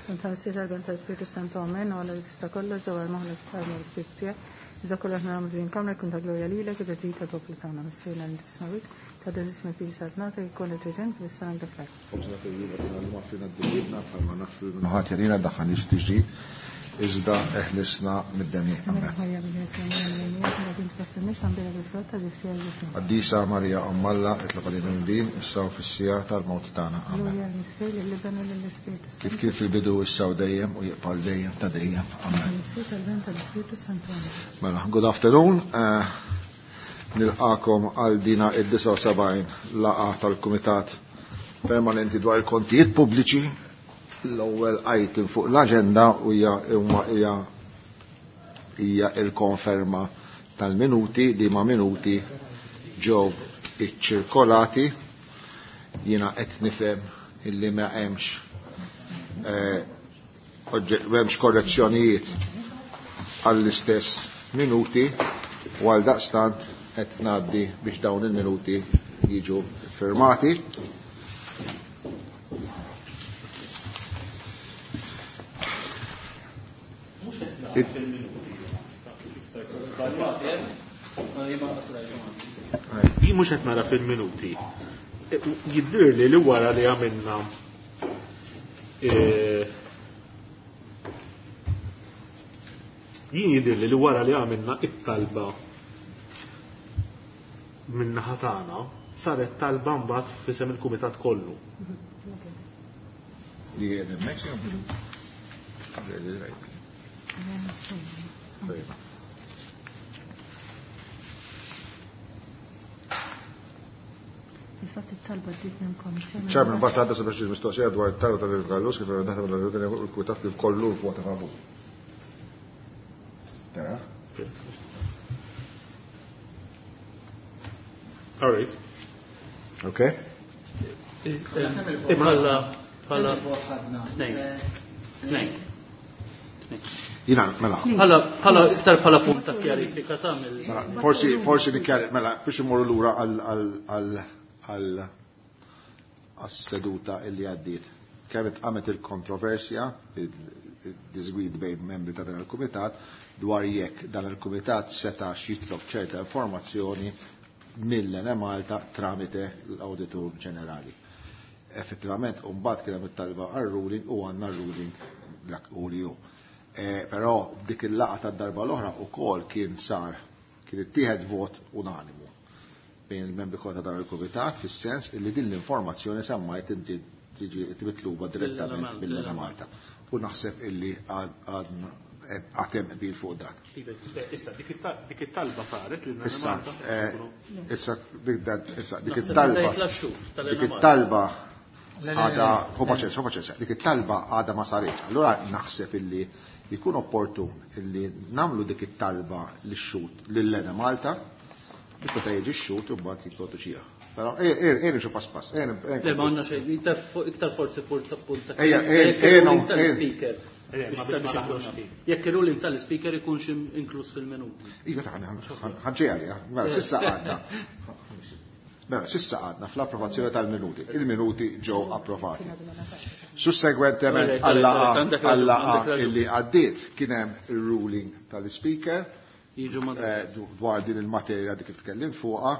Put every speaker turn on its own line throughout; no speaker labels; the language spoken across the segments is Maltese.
Tal-Missier tal-Ben tal-Spiritu Santu Amen, u għalla li tista' kollox dawar moħħna tfajna l-Ispiritu tiegħek. Iżda kollox nagħmlu din kamra jkun ta' glorja lilek u ġid tal-poplu tagħna Missierna li tismawik, ta' ismek li saltnata jkun il-preżent fis-sena dak
Ħobżna tal-jum għatina l-maffina d-dubibna bħalma nafru minħat jarina daħħalix tiġi iżda eħlisna mid-deni. Amen. Qaddisa Marija Omm Alla, itlob għalina minn issa u fis-siegħa tal-mewt tagħna. Amen. Kif kien fil-bidu issa u dejjem u jibqa' dejjem ta' dejjem. Amen. Mela, good afternoon. Eh, nilqakom għal dina id-79 laqa tal-Kumitat Permanenti dwar il-kontijiet pubbliċi. L-ewwel item fuq l-aġenda hija hija hija il-konferma tal-minuti li ma minuti ġew iċċirkolati. Jiena qed nifhem illi ma hemmx eh, m'hemmx korrezzjonijiet għall-istess minuti u għal daqstant qed ngħaddi biex dawn il-minuti jiġu firmati.
Jien mhux qed nara fil-minuti. Jiddirli li wara li għamilna eh, jien jidhirli li wara li għamilna it-talba min-naħa tagħna saret talba mbagħad f'isem il-kumitat kollu.
Li qiegħed hemmhekk jew
Fil-fatt it-talba ġiet minnkom.
Chairman, mbagħad għadda sabiex mistoqsija dwar it-talba tal-Gallus kif naħdem l-kumitat kif kollu vota favur. Tara?
All right.
Okay.
Bħala bħala tnejn. Tnejn.
Jina, mela.
Bħala bħala iktar bħala punt ta' kjarifika ta' mill.
Mela, forsi forsi nikkjari, mela, biex immorru lura għal għal għal għas-seduta illi għaddiet. Kemm qamet il-kontroversja, il-disgwid bejn membri ta' dan il-kumitat dwar jekk dan il-kumitat setax jitlob ċerta informazzjoni mill-Enemalta tramite l-Awditur Ġenerali. Effettivament, mbagħad kien hemm it-talba għar-ruling u għandna ruling dak u li hu. Eh, però dik il-laqgħa tad-darba l-oħra wkoll kien sar kien ittieħed vot unanimu bejn il-membri kollha ta' dan il-kumitat fis-sens illi din l-informazzjoni semmajt inti tiġi mitluba direttament mill-Enemalta. U naħseb illi għadna għatem qbil fuq dan.
Issa, dik it-talba saret lil
Issa, eh, issa, issa, dik it-talba. Dik it-talba għada, hu paċenza, hu paċenza, dik it-talba għada ma saritx. Allura naħseb illi jkun opportun illi namlu dik it-talba lix-xut lil-Enemalta biex meta jiġi x-xut u mbagħad jipproduċiha. Però ejja xi pass pass.
Le ma għandna xejn, iktar forsi punt punt.
Ejja,
tal-speaker. Jekk il-ruling tal-speaker ikunx inkluż fil-minuti.
Iva ta' ħanġej għalija. Mela sissa għadna. Mela sissa għadna fl-approvazzjoni tal-minuti. Il-minuti ġew approvati. Sussegwentement għal-laqgħa illi għaddiet kien hemm ir-ruling tal-speaker dwar din il-materja dik kif tkellim fuqha,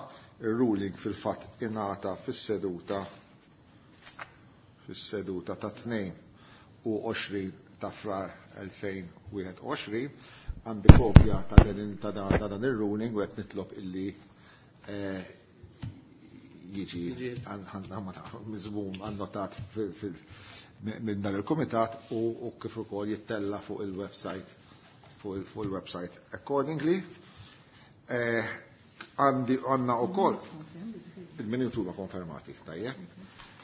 ir-ruling fil-fatt ingħata fis-seduta fis-seduta ta' 22 ta' frar 2021 għandi kopja ta' dan ta' dan ir-ruling u qed nitlob illi eh, jiġi miżmum annotat minn dan il-kumitat u kif ukoll jittella fuq il-website fuq il-website accordingly. Eh, għandi għandna ukoll il-minuti huma konfermati, tajjeb.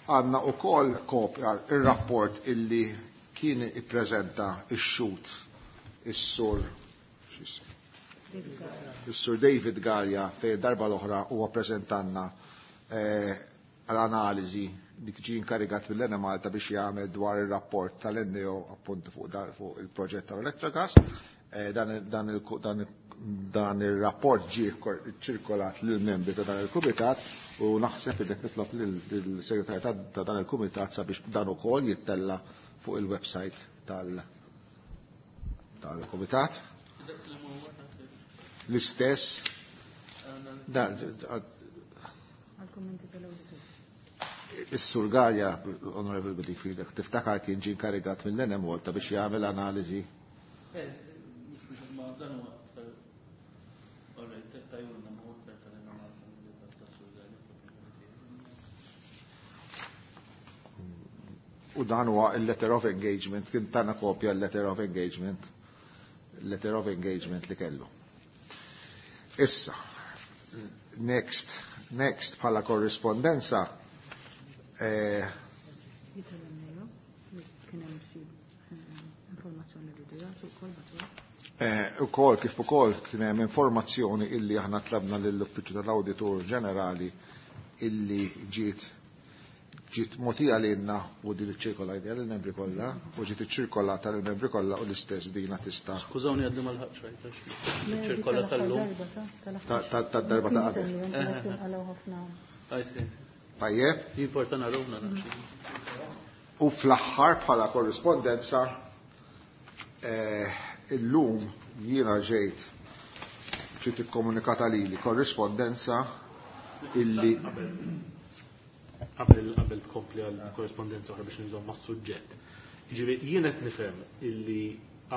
Għandna ukoll kopja ir-rapport illi kien ippreżenta ix-xut is-sur is-sur David Gallia fejn darba l-oħra huwa preżentanna eh, l-analiżi li ġie inkarigat mill-Enemalta biex jagħmel dwar ir-rapport tal-NEO appuntu fuq dar fuq il-proġett tal-Electrogas. Eh, dan Dan ir-rapport ġie ċirkolat lill-membri ta' dan il-kumitat u naħseb li qed nitlob lill-segretarju ta' dan il-kumitat sabiex dan ukoll jittella fuq il-website tal-kumitat. L-istess dan
Għal-kommenti tal-awditur.
Is-Sur Galea, Onorevole Bedingfield, tiftakar kien ġie inkarigat mill-Enemalta biex jagħmel analiżi.
Mhux biex ma dan huwa aktar. Alright, tajjuna ma aktar tal-Enemalta milli tas-Sur Galea.
U dan huwa il-letter of engagement, kien tana kopja l-letter of engagement, letter of engagement li kellu. Issa, next bħala korrispondenza,
Jitalem li kien hemm xi informazzjoni li jagħtu wkoll bagħtuha.
Ukoll kif ukoll kien hemm informazzjoni illi aħna tlabna lill-Uffiċċju tal-Awditur Ġenerali illi ġiet mogħtija lilna u din iċ-ċirkola idea lill-membri kollha u ġiet iċ-ċirkolata lill-membri kollha u l-istess dina tista'
Skużawni għadni ma lħaqx rajt għax ċirkola tal-lum.
Tad-darba ta' qabel.
I see.
Tajjeb.
Jimporta narawna naqx.
U fl-aħħar bħala korrispondenza illum jiena ġiet ikkomunikata lili korrispondenza illi
Qabel tkompli għal korrespondenza oħra biex nżomm mas-suġġett. Jiġifieri jien qed nifhem illi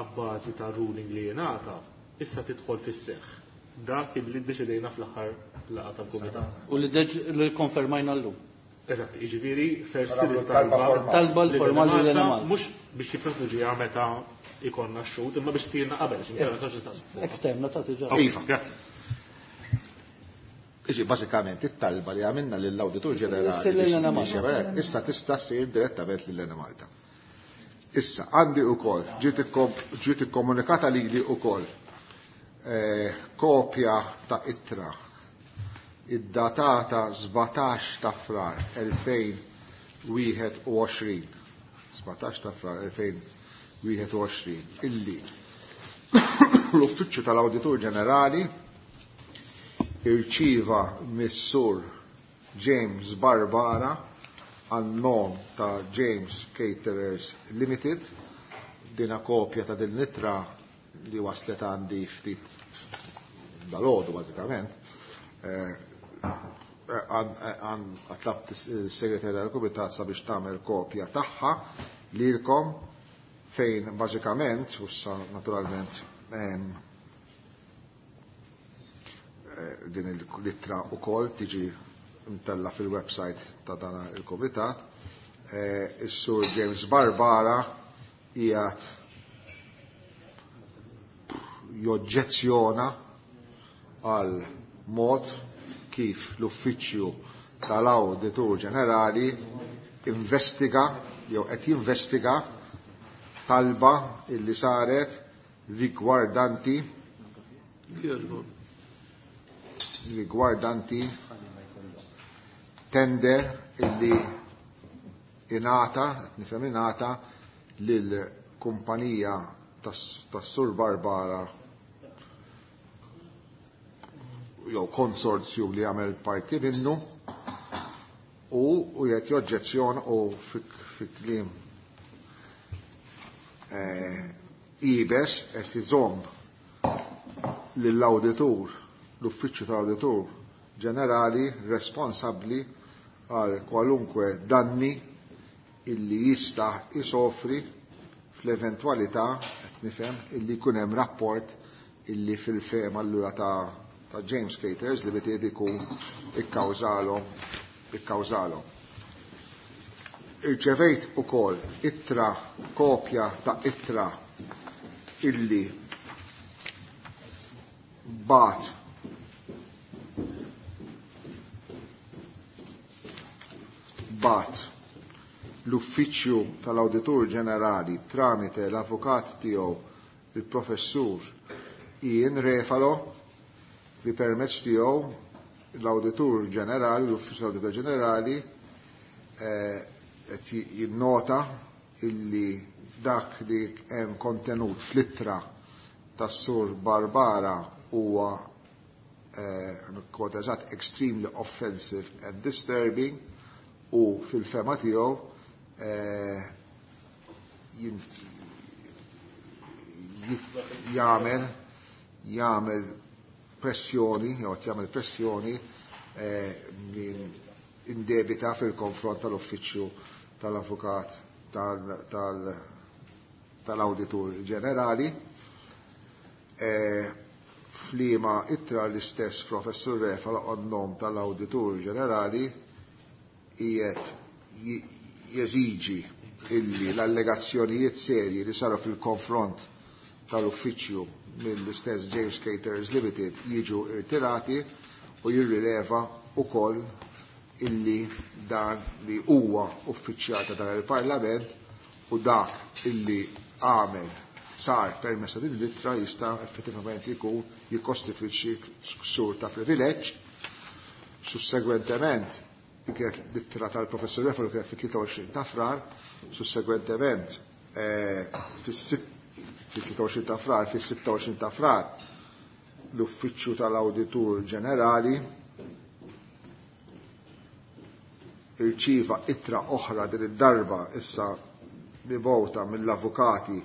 abbażi ta' ruling li jingħata issa tidħol fis-seħħ dak illi ddeċidejna fl-aħħar laqgħa tal-kumitat.
U li deġ li konfermajna llum.
Eżatt, jiġifieri ser
Mela,
ssir
talba
it-talba
formali.
Talba l-formali li
Malta,
Malta.
mhux biex jipproteġiha meta ikonna x-xhud, imma biex tirna qabel, għax inkella ma nistax nistaqsu fuqha.
Esterna ta' diġà.
Iva.
Grazzi.
Iġi, bażikament it-talba li għamilna lill-Awditur Ġenerali
Issir lil
biex
Enemalta.
biex jagħmel hekk, issa tista' ssir direttament lil Enemalta. Issa, għandi wkoll, ġiet ikkomunikata lili wkoll kopja ta' ittra id-datata 17 ta' Frar 2021. 17 ta' Frar 2021, illi l-Uffiċċju tal-Awditur Ġenerali irċiva mis-Sur James Barbara għan-nom ta' James Caterers Limited. Dina kopja ta' din l-ittra li waslet għandi ftit dal-għodu bażikament. Għatlabt is-segretarja tal-Kumitat sabiex tagħmel kopja tagħha lilkom fejn bażikament, u issa naturalment din l-ittra wkoll tiġi mtella fil-website ta' dan il-Kumitat. Is-Sur James Barbara qiegħed joġġezzjona għal mod kif l-Uffiċċju tal-Awditur Ġenerali investiga jew qed jinvestiga talba illi saret rigwardanti tender illi ingħata, qed nifhem ingħata lil kumpanija tas-Sur Barbara jew konsorzju li għamel parti minnu u qed joġġezzjona u fi kliem ibes qed iżomm lill-awditur, l-uffiċċju tal-awditur ġenerali responsabbli għal kwalunkwe danni illi jista' isofri fl-eventwalità, qed nifhem, illi jkun hemm rapport illi fil-fehma allura ta' James Caterers li bitiet ikun ikkawżalhom. Irċevejt ukoll ittra, kopja ta' ittra illi bat l-Uffiċċju tal-Awditur Ġenerali tramite l-avukat tiegħu il-Professur Ian Refalo li permezz tiegħu l-Awditur Ġenerali, l-Uffiċċju tal-Awditur Ġenerali qed jinnota illi dak li hemm kontenut fl-ittra tas-Sur Barbara huwa kwota eżatt extremely offensive and disturbing u fil-fema tiegħu jagħmel pressjoni jew qed jagħmel pressjoni indebita fil-konfront tal-uffiċċju tal-avukat tal-awditur ġenerali. F'liema ittra l-istess professur Refalo għan-nom tal-awditur ġenerali qiegħed jeżiġi illi l-allegazzjonijiet serji li saru fil-konfront tal-uffiċċju mill-istess James Caterers Limited jiġu irtirati u jirrileva ukoll illi dan li huwa uffiċjal ta' dan il-Parlament u dak illi għamel sar permezz ta' din l-ittra jista' effettivament jkun jikkostitwixxi ksur ta' privileġġ. Sussegwentement, dik kienet l-ittra tal-professur Refalo kienet fit-23 ta' Frar, sussegwentement fis-23 ta' Frar, fis-26 ta' Frar, l-Uffiċċju tal-Awditur Ġenerali irċieva ittra oħra din id-darba issa mibgħuta mill-avukati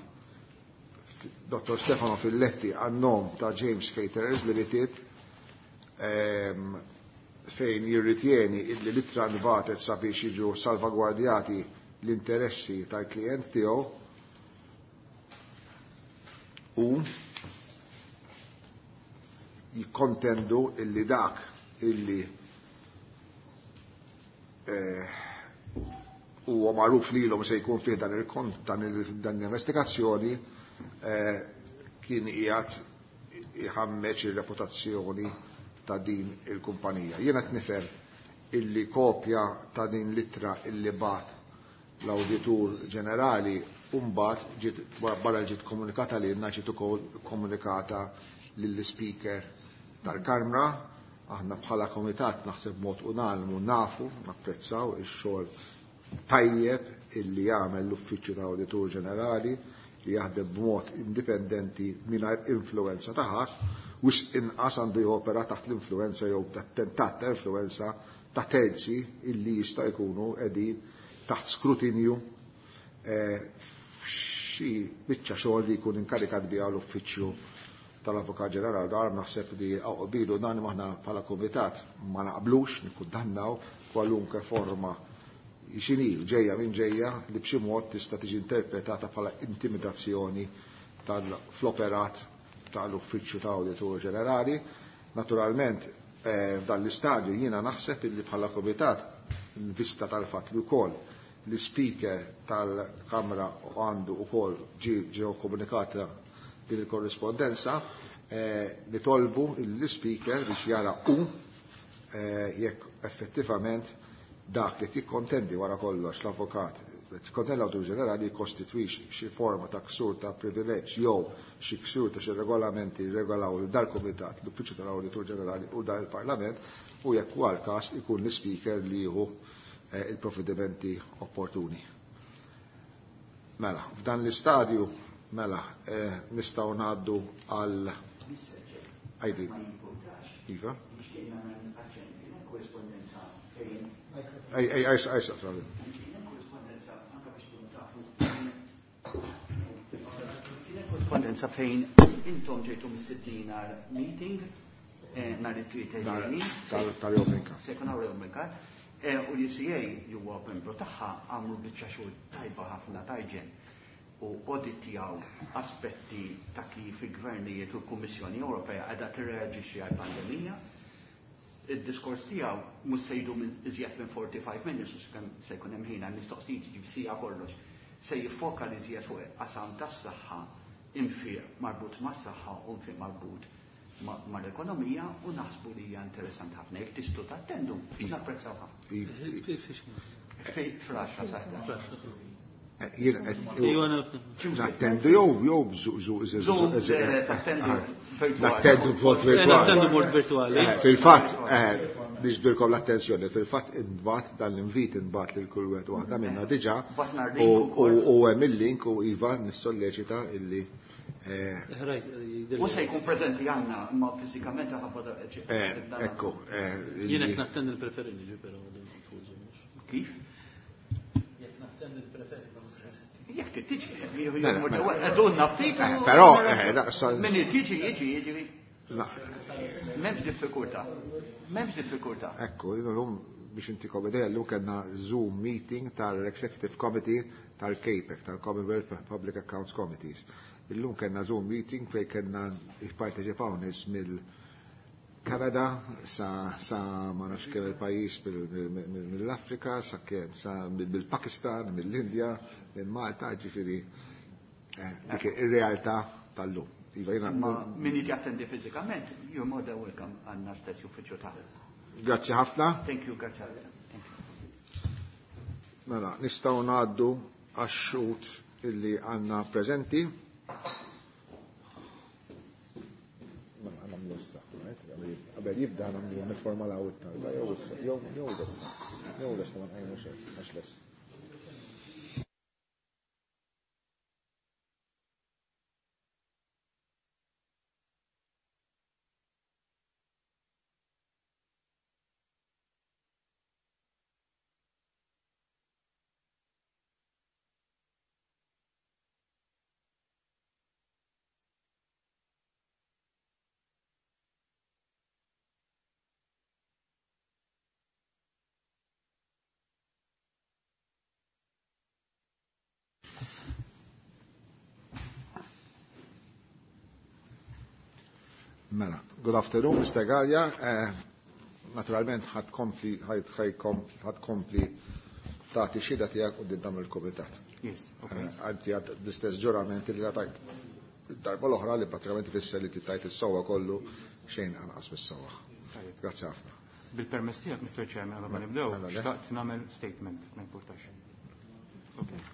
Dr. Stefano Filletti għan-nom ta' James Caterers Limited fejn jirritjeni illi l-ittra nbatet sabiex jiġu salvagwardjati l-interessi tal-klient tiegħu u jikkontendu illi dak illi huwa magħruf lilhom se jkun fih dan il-kont dan l-investigazzjoni kien qiegħed iħammeġ ir-reputazzjoni ta' din il-kumpanija. Jiena qed nifhem illi kopja ta' din l-ittra illi bat l-Awditur Ġenerali u mbagħad ġiet barra ġiet komunikata lilna ġiet ukoll komunikata lill-Speaker tal-Kamra. Aħna bħala komitat naħseb mod unanimu nafu, napprezzaw ix-xogħol tajjeb illi jagħmel l-Uffiċċju tal-Awditur Ġenerali li jaħdem b'mod indipendenti mingħajr influenza ta' ħadd, wisq inqas għandu jopera taħt l-influenza jew tat-tentat ta' influenza ta' terzi illi jista' jkunu qegħdin taħt skrutinju f'xi biċċa xogħol li jkun inkarikat biha l-Uffiċċju tal-Avukat Ġenerali. Dar naħseb li qbilu dan aħna bħala kumitat ma naqblux nikkundannaw kwalunkwe forma x'inhi ġejja minn ġejja li b'xi mod tista' tiġi interpretata bħala intimidazzjoni fl-operat tal-Uffiċċju tal-Awditur Ġenerali. Naturalment, f'dan l-istadju jiena naħseb illi bħala kumitat vista tal-fatt li wkoll l-Speaker tal-Kamra għandu wkoll ġew komunikata din il-korrispondenza, nitolbu l-Speaker biex jara u jekk effettivament dak li tikkontendi wara kollox l-avukat, tikkontendi l-Awditur Ġenerali jikkostitwix xi forma ta' ksur ta' privileġġ jew xi ksur ta' xi regolamenti regolaw dal-Kumitat, l-Uffiċċju tal-Awditur Ġenerali u dan il-Parlament, u jekk huwa l-każ ikun l-Speaker li jieħu il-provvedimenti opportuni. Mela, f'dan l-istadju, mela, nistgħu ngħaddu għal ID. Iva. Ej, ej, ej, ej, sorry.
Korrespondenza fejn intom ġejtu mistednin għal meeting nhar it-Tlieta ġejjin.
Tal-Open Cup.
Se jkun hawn l-Open Cup. U l-UCA li huwa membru tagħha għamlu biċċa xogħol tajba ħafna tajġen u auditjaw aspetti ta' kif il-gvernijiet u l-Kummissjoni Ewropea qiegħda tirreaġixxi għall-pandemija. Id-diskors tiegħu mhux se jdum iżjed minn 45 minutes, u se jkun hemm ħin għal mistoqsijiet, jiġifieri siegħa kollox. Se jiffoka li iżjed fuq qasam tas-saħħa, infiq marbut mas-saħħa u infiq marbut mal-ekonomija, u naħsbu li hija interessanti ħafna. Jekk tistgħu tattendu, napprezzaw ħafna. Fl-10 sa 11.
Nattendu jew jew
Tattendu virtuali.
Nattendu b'mod virtuali.
Nattendu b'mod virtuali.
Fil-fatt, niġbirkom l-attenzjoni, fil-fatt inbat dan l-invit inbat lil kull wieħed waħda minna diġà
Batna l-link ukoll.
u hemm il-link u iva nissolleċita illi
U se jkun preżenti għandna, imma fiżikament ħabba
Ekku.
Jien qed nattendi nippreferi niġi però.
Kif?
Jekk nattendi nippreferi ma preżenti.
Jekk tiġi, għedunna ftit.
Però,
Min tiġi, jiġi, jiġi. M'hemmx diffikultà. M'hemmx diffikultà.
Ekku, l-lum biex intikom idea, l-lum kellna Zoom meeting tal-Executive Committee tal-CAPEC, tal-Commonwealth Public Accounts Committees. Illum kellna Zoom meeting fej kellna jipparteċipaw nies mill-Kanada sa ma nafx kemm il-pajjiż mill-Afrika, sa kemm sa mill-Pakistan, mill-Indja, minn Malta, ġifieri dik ir-realtà tal-lum. Iva, jiena
Ma min jiġi attendi fiżikament, you're more than welcome għandna stess uffiċċju taħt.
Grazzi ħafna.
Thank you, grazzi ħafna. Thank you.
Mela, nistgħu ngħaddu għax-xhud illi għandna preżenti. Mela, nagħmlu issa, right? Qabel jibda nagħmlu nifformalaw it-talba jew issa, jew jew lesta. Jew lesta ma nqajmu xejn, għax lest. Mela, good afternoon, Mr. Galea. Naturalment ħad kompli, ħad kompli tagħti xhieda tiegħek quddiem dan il-kumitat.
Yes, okay.
Għanti għad l-istess ġurament li tajt. Darba l-oħra li pratikament ifisser li tajt is-sewwa kollu xejn anqas mis-sewwa. Grazzi ħafna.
Bil-permess tiegħek, Mr. Chairman, qabel ma nibdew,
Mela, le.
xtaqt nagħmel statement, ma importax. Okay.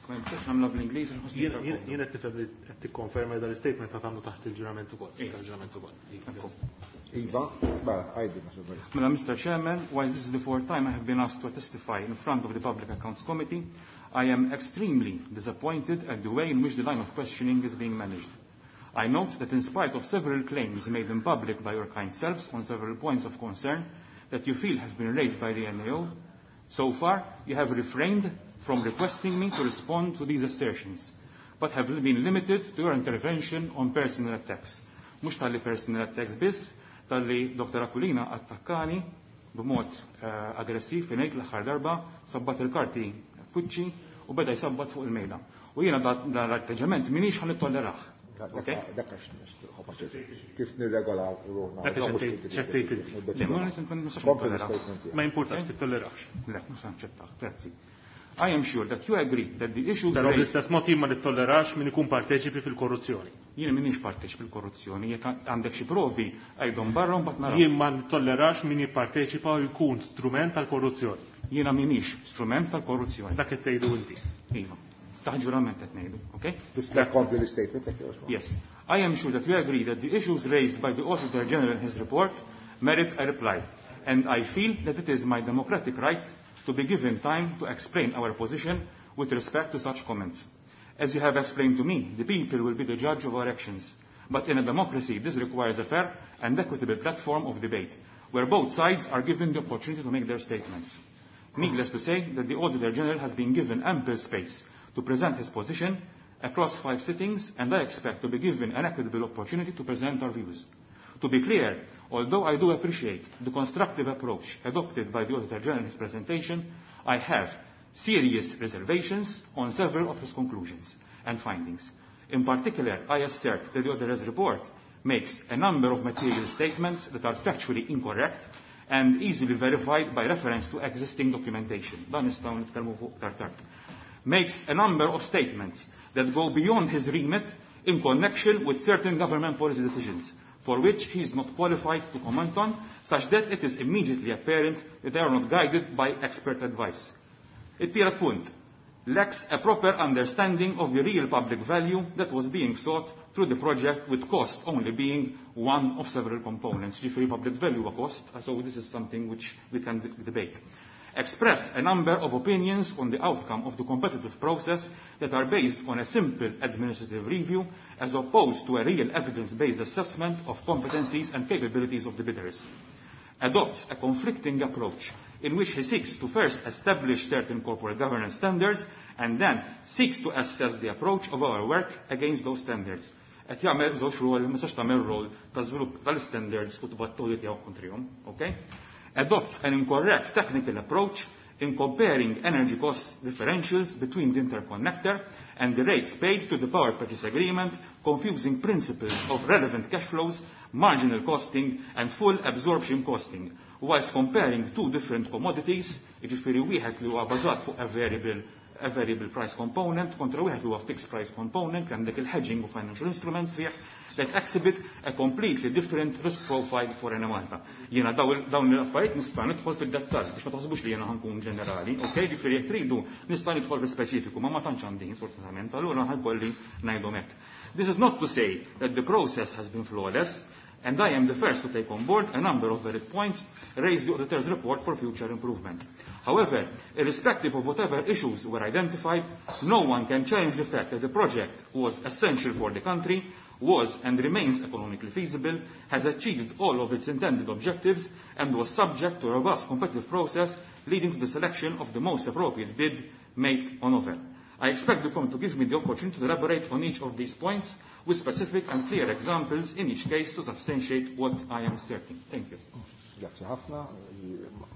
Ma jistax nagħmilha bl-Ingliż, nħossni
Jien
iktar komdu.
qed nifhem li qed tikkonferma dan l-istatement ta' tagħmlu taħt il-ġurament ukoll.
Yes.
Il-ġurament ukoll.
Ekku.
Iva, mela, għajdi, ma xi
Mela, Mr. Chairman, while this is the fourth time I have been asked to testify in front of the Public Accounts Committee, I am extremely disappointed at the way in which the line of questioning is being managed. I note that in spite of several claims made in public by your kind selves on several points of concern that you feel have been raised by the NAO, so far you have refrained from requesting me to respond to these assertions, but have been limited to your intervention on personal attacks. Mhux talli personal attacks biss, talli Dr. Aquilina attakkani b'mod aggressiv ngħid l-aħħar darba, sabbat il-karti fuċċi u beda jsabbat fuq il-mejda. U jiena dan l-atteġġament minix ħa nittollerah.
Dak għax kif nirregolaw ruħna.
Dak għax ċettejt inti.
Le, ma nistax
Kompli
nittolleraw.
l-statement tiegħek.
Ma importax tittollerax.
Le, ma se naċċettax, grazzi. I am sure that you agree that the issues
Però
raised
bl-istess mod jien ma nittollerax min ikun parteċipi fil-korruzzjoni.
Jien minix parteċipi fil-korruzzjoni, jekk għandek xi provi għajdhom barra u mbagħad naraw.
Jien ma nittollerax min jipparteċipa u jkun strument tal-korruzzjoni.
Jiena minix strument tal-korruzzjoni.
Dak qed tgħidu inti.
Iva. Taħt ġurament qed ngħidu, okay?
Tista' tkompli l-statement jekk jogħġbok.
Yes. I am sure that you agree that the issues raised by the Auditor General in his report merit a reply, and I feel that it is my democratic right to be given time to explain our position with respect to such comments. As you have explained to me, the people will be the judge of our actions. But in a democracy, this requires a fair and equitable platform of debate, where both sides are given the opportunity to make their statements. Needless to say that the Auditor General has been given ample space to present his position across 5 sittings, and I expect to be given an equitable opportunity to present our views. To be clear, although I do appreciate the constructive approach adopted by the Auditor General in his presentation, I have serious reservations on several of his conclusions and findings. In particular, I assert that the Auditor's report makes a number of material statements that are factually incorrect and easily verified by reference to existing documentation. Dan nistgħu nitkellmu fuq tard tard. Makes a number of statements that go beyond his remit in connection with certain government policy decisions, for which he is not qualified to comment on, such that it is immediately apparent that they are not guided by expert advice. It-tielet punt, lacks a proper understanding of the real public value that was being sought through the project, with cost only being one of several components. Ġifieri public value a cost, so this is something which we can debate. Express a number of opinions on the outcome of the competitive process that are based on a simple administrative review as opposed to a real evidence-based assessment of competencies and capabilities of the bidders. Adopts a conflicting approach in which he seeks to first establish certain corporate governance standards and then seeks to assess the approach of our work against those standards. Qed jagħmel żewġ rol, ma tistax tagħmel rol ta' żvilupp tal-standards u tibgħat tiegħu kontrihom, okay? Adopts an incorrect technical approach in comparing energy cost differentials between the interconnector and the rates paid to the power purchase agreement, confusing principles of relevant cash flows, marginal costing and full absorption costing, whilst comparing two different commodities, jiġifieri wieħed li huwa bażat fuq a variable price component kontra wieħed li huwa fixed price component, għandek il-hedging u financial instruments fih that exhibit a completely different risk profile for Enemalta. Jiena dawn l-affarijiet nista' nidħol fid-dettall biex ma taħsbux li jiena ħa nkun ġenerali, ok? Ġifieri jekk tridu nista' nidħol fis-speċifiku, ma ma tantx għandi sfortunatament, allura ħa jkolli ngħidhom hekk. This is not to say that the process has been flawless, and I am the first to take on board a number of valid points raised the auditor's report for future improvement. However, irrespective of whatever issues were identified, no one can challenge the fact that the project was essential for the country, was and remains economically feasible, has achieved all of its intended objectives, and was subject to a robust competitive process leading to the selection of the most appropriate bid made on offer. I expect the committee to give me the opportunity to elaborate on each of these points with specific and clear examples in each case to substantiate what I am asserting. Thank you.
Grazzi ħafna,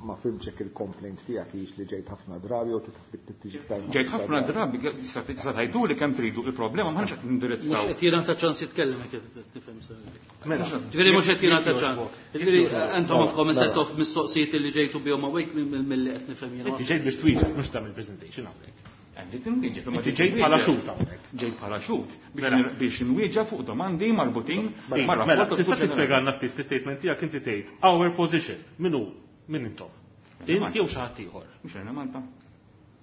ma fhimtx il-complaint tiegħek hix li ġejt ħafna drabi u tiġi iktar.
Ġejt ħafna drabi, tista' tgħidu li kemm tridu, il-problema m'aħniex qed nindirizzaw.
Mhux qed jingħata ċans jitkellem kif nifhem. Mela, ġifieri mhux qed jingħata ċans. Ġifieri intom għandkom set of mistoqsijiet li ġejtu bihom hawnhekk milli qed nifhem jiena.
Inti ġejt biex twieġeb, mhux tagħmel presentation hawnhekk.
Ġejt inwieġeb, imma
Inti ġejt bħala xhud hawnhekk.
Ġejt bħala xhud biex inwieġeb fuq domandi marbutin
Mela,
mar-rapport
tista' tispjegalna ftit fi-statement tiegħek inti tgħid our position. Min hu? Min intom? Inti jew xi ħadd ieħor?
Mhux Enemalta.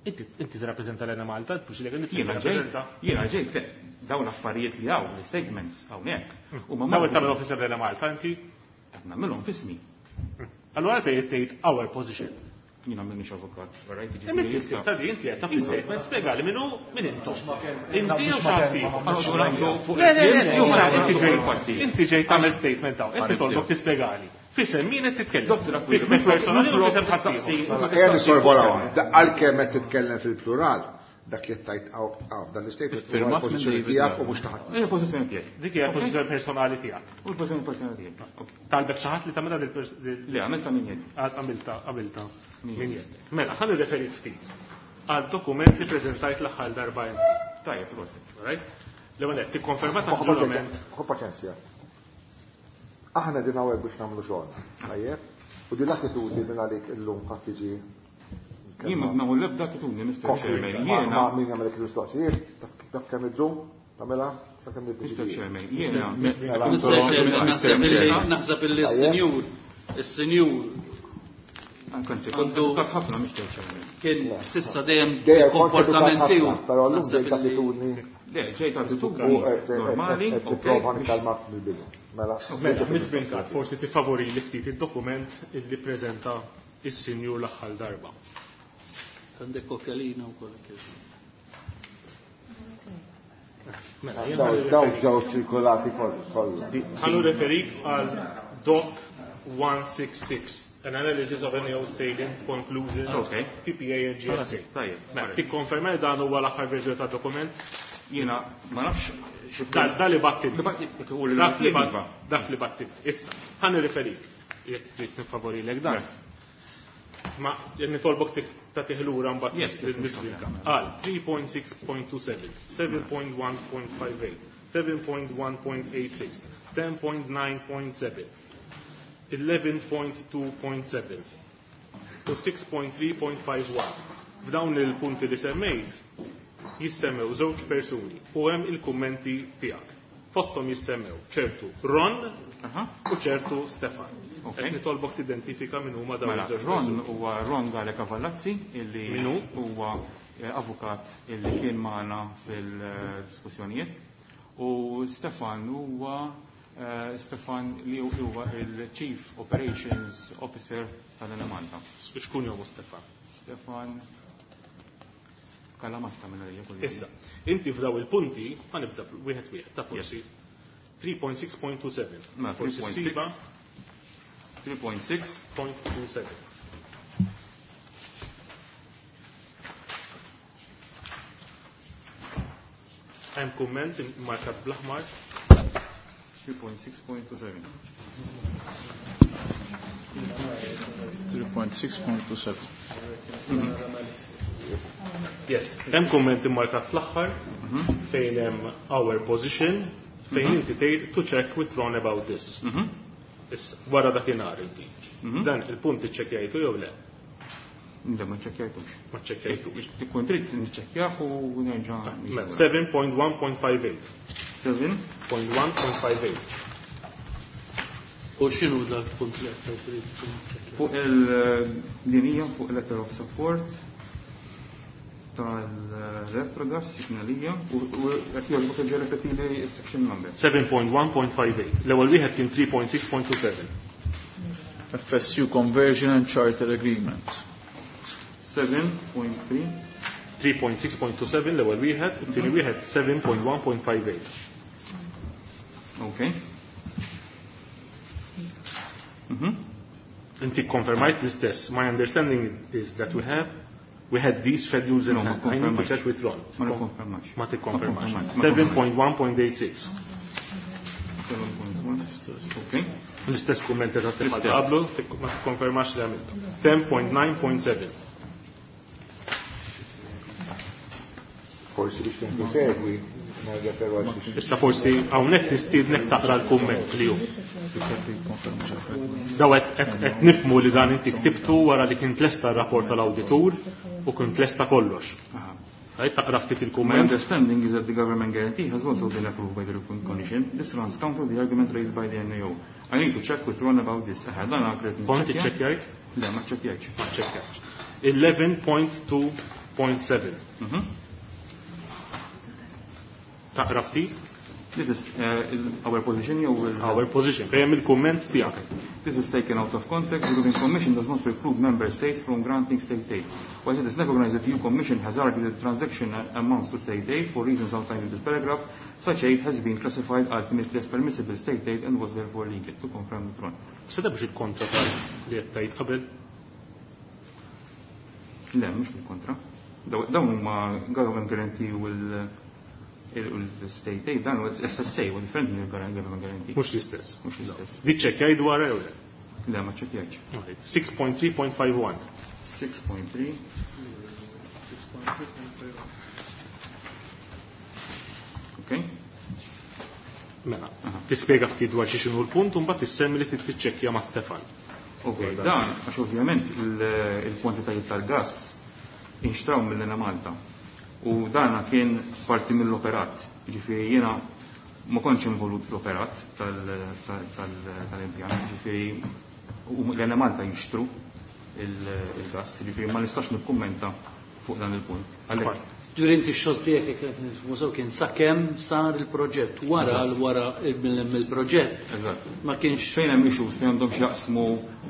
Inti tirrappreżenta l-Enemalta, l
Jiena ġejt, jiena ġejt, le, dawn l-affarijiet li hawn, l-statements hawnhekk. Huma
Dawn tagħmel officer l-Enemalta inti?
Qed nagħmilhom f'ismi.
Allura għalfejn tgħid our position.
Jiena m'iniex avukat, right?
Imma inti ta' di inti qed taf statement spjegali min hu, min intom. Inti jew xi ħadd ieħor. Le, le, le, inti ġejt tagħmel statement hawn, qed nitolbok tispjegali. F'isem min qed titkellem?
Dr. Aquila,
F'ismek personali u f'isem ħadd ieħor.
Ejja nisorvolaw. Għalkemm qed titkellem fil-plural, dak li tajt għaw, dan l-statement huwa
Firmat minn
l-pożizzjoni
David
tiegħek u
Dark.
mhux taħt.
Hija pożizzjoni tiegħek.
Dik hija l-pożizzjoni personali tiegħek.
U l-pożizzjoni personali tiegħek. Ok.
Talbek xi ħadd li tagħmilha
Le, għamilta minn jedi.
Għamilta, għamilta minn jedek. Mela, ħa nirreferi ftit għal dokument li preżentajt l-aħħar darba inti.
Tajjeb, prosit.
Right? L-ewwel qed tikkonferma ta' ġurament.
Ħu paċenzja. Aħna din hawnhekk biex nagħmlu xogħol. Tajjeb? U din l-attitudni minn għalik illum ħadd tiġi
Jien ma nagħmel l-ebda attitudni, Mr. Chairman.
Ma
Jiena,
min jagħmel il-mistoqsijiet, taf kemm iddum, tagħmilha sakemm
Mr.
niddeċidi.
Chairman, jiena.
Mr. Chairman, naħseb illi s-sinjur
Anzi, kont edukat ħafna, Mr. Chairman.
kien s'issa dejjem
Dejjem kont edukat
komportament
ħafna,
tiegħu.
però llum
Naħseb
ġejt
illi-
attitudni
Le, ġejt
u
attitudni normali,
qed
ok.
tipprova nikkalmak mill-bidu. Mela,
Mela, Miss Brincat, forsi tifavori li ftit id-dokument illi preżenta is-sinjur l-aħħar darba.
Għandek okjalina wkoll kif.
Mela, jien
daw
ħa
daw
nirreferi-
ġew ċirkolati kollha.
ħa nirreferik għal Doc 166, an analysis of NAO salient conclusions,
Okay.
PPA and GSA.
Tajjeb,
Mela, tikkonferma li dan huwa l-aħħar verżjoni tad-dokument?
Jiena ma nafx xi
Da li battit.
Dak
Dak li bat- Dak li battit. Issa, ħa nirreferik, jekk trid nifavorilek dan. Ma nitolbok tagħtih lura mbagħad
Yes,
Għal 3.6.27, 7.1.58, 7.1.86, 10.9.7. 11.2.7 u 6.3.51. F'dawn il-punti li semmejt jissemmew żewġ persuni u hemm il-kummenti tiegħek. Fosthom jissemmew ċertu Ron u ċertu Stefan. Qed nitolbok tidentifika min huma dawn
Mela,
iż-żewġ
Ron
persuni.
huwa Ron Gale Cavallazzi illi
Min hu?
huwa avukat illi kien magħna fil-diskussjonijiet u Stefan huwa Stefan li huwa il-Chief Operations Officer tal-Enemalta.
Xkun jomu Stefan?
Stefan Kalamatta minn għalija kull
Issa, inti f'daw il-punti, ħa nibda wieħed wieħed, ta' forsi 3.6.27.
Mela,
Forsi
3.6.
ssiba
3.6
.27. Hemm kumment markat bl-aħmar.
3.6.27.
3.6.27.
Yes, hemm kumment immarkat fl-aħħar fejn hemm our position fejn inti tgħid to check with Ron about this. Issa, wara dakinhar inti. Dan il-punt iċċekkjajtu jew le?
Le, ma ċċekkjajtux.
Ma ċċekkjajtux.
Tkun trid niċċekkjah u nerġa'
Mela, 7.1.58.
7.1.58.
U x'inhu dak punt li qed trid tiċċekkja?
Fuq il-dinija, fuq letter of support tal-Electrogas, signalija, u qed jogħġbok terġa' repetili s-section number.
7.1.58. L-ewwel wieħed kien 3.6.27.
FSU Conversion and Charter Agreement.
7.3.
3.6.27 l-ewwel wieħed, u t-tieni wieħed 7.1.58.
Okay.
Inti konfermajt l-istess. My understanding is that we had these schedules in
No, ma
hand. I need to
konfermax.
check with Ron.
Ma nikkonfermax.
Ma tikkonfermax.
Ma konfermax.
7.1.86.
7.1. Okay.
L-istess kumment eżatt bħal
L-istess.
qablu, ma tikkonfermax li għamiltu. 10.9.7.
Forsi biex tinti segwi, nerġa' għal xi
Issa forsi hawnhekk nistiednek taqra l-kumment li hu. Daw qed nifmu li dan inti ktibtu wara li kien tlesta r-rapport tal-awditur u kien tlesta kollox. Għajt taqra ftit
My
il-kumment.
understanding is that the government guarantee has also been approved by the European Commission. This runs counter the argument raised by the NAO. I need to check with Ron about this. Aha, dan għakret
Kont
niċċekkja?
iċċekkjajt?
Le, ma ċċekkjajtx.
Ma ċċekkjajtx. 11.2.7. Taqra ftit?
This is our position jew il-
Our position. Fejn il-kumment tiegħek.
This is taken out of context. The European Commission does not preclude member states from granting state aid. While it is recognized that the EU Commission has argued that transaction amounts to state aid for reasons outlined in this paragraph, such aid has been classified ultimately as permissible state aid and was therefore legal. To confirm the throne.
Se biex il-kontra tal li qed tgħid qabel?
Le, mhux bil-kontra. Dawn huma government guarantee u l-state aid, dan huwa SSA, u differenti mill government guarantee.
Mhux l-istess.
Mhux l-istess.
Di ċċekkjaj dwar jew le?
Le, ma ċċekkjajtx.
Right. 6.3.51.
6.3. Okay.
Mela, tispjega ftit dwar xi x'inhu l-punt u mbagħad tissemmi li trid tiċċekkja ma' Stefan.
Ok, dan għax ovvjament il-kwantitajiet tal-gass inxtraw mill-Enemalta. U dan kien parti mill-operat. Ġifieri jiena ma kontx involut fl-operat tal-impjant, ġifieri l-Enemalta jixtru il-gas, ġifieri ma nistax nikkummenta fuq dan il-punt. Għalhekk.
Ġifieri inti x-xogħol tiegħek jekk qed nifhmu sew kien sakemm sar il-proġett, wara wara mill-proġett.
Eżatt.
Ma kienx
fejn hemm issues fejn għandhom x'jaqsmu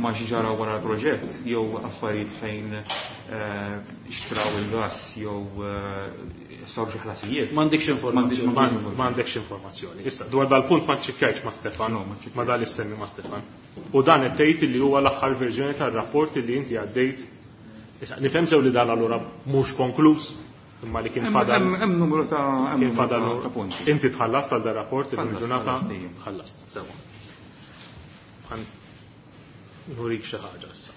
ma' xi ġara wara l-proġett jew affarijiet fejn xtraw il-gas jew saru xi ħlasijiet.
M'għandekx informazzjoni.
M'għandekx informazzjoni. Issa dwar dal-punt ma ċċekkjajtx ma' Stefan,
No, ma ċċekkjajtx.
ma dal issemmi ma' Stefan. U dan qed tgħid li huwa l-aħħar verżjoni tar-rapport li inti għaddejt. Issa nifhem sew li dan allura mhux konkluż, imma li kien fadal.
Hemm numru ta' hemm
Kien
numru
fadal
ta' punti.
Inti tħallast għal dar rapport
Tħallast,
il-ġurnata
tħallast, ija.
tħallast. Sewa. Għan nurik xi ħaġa issa.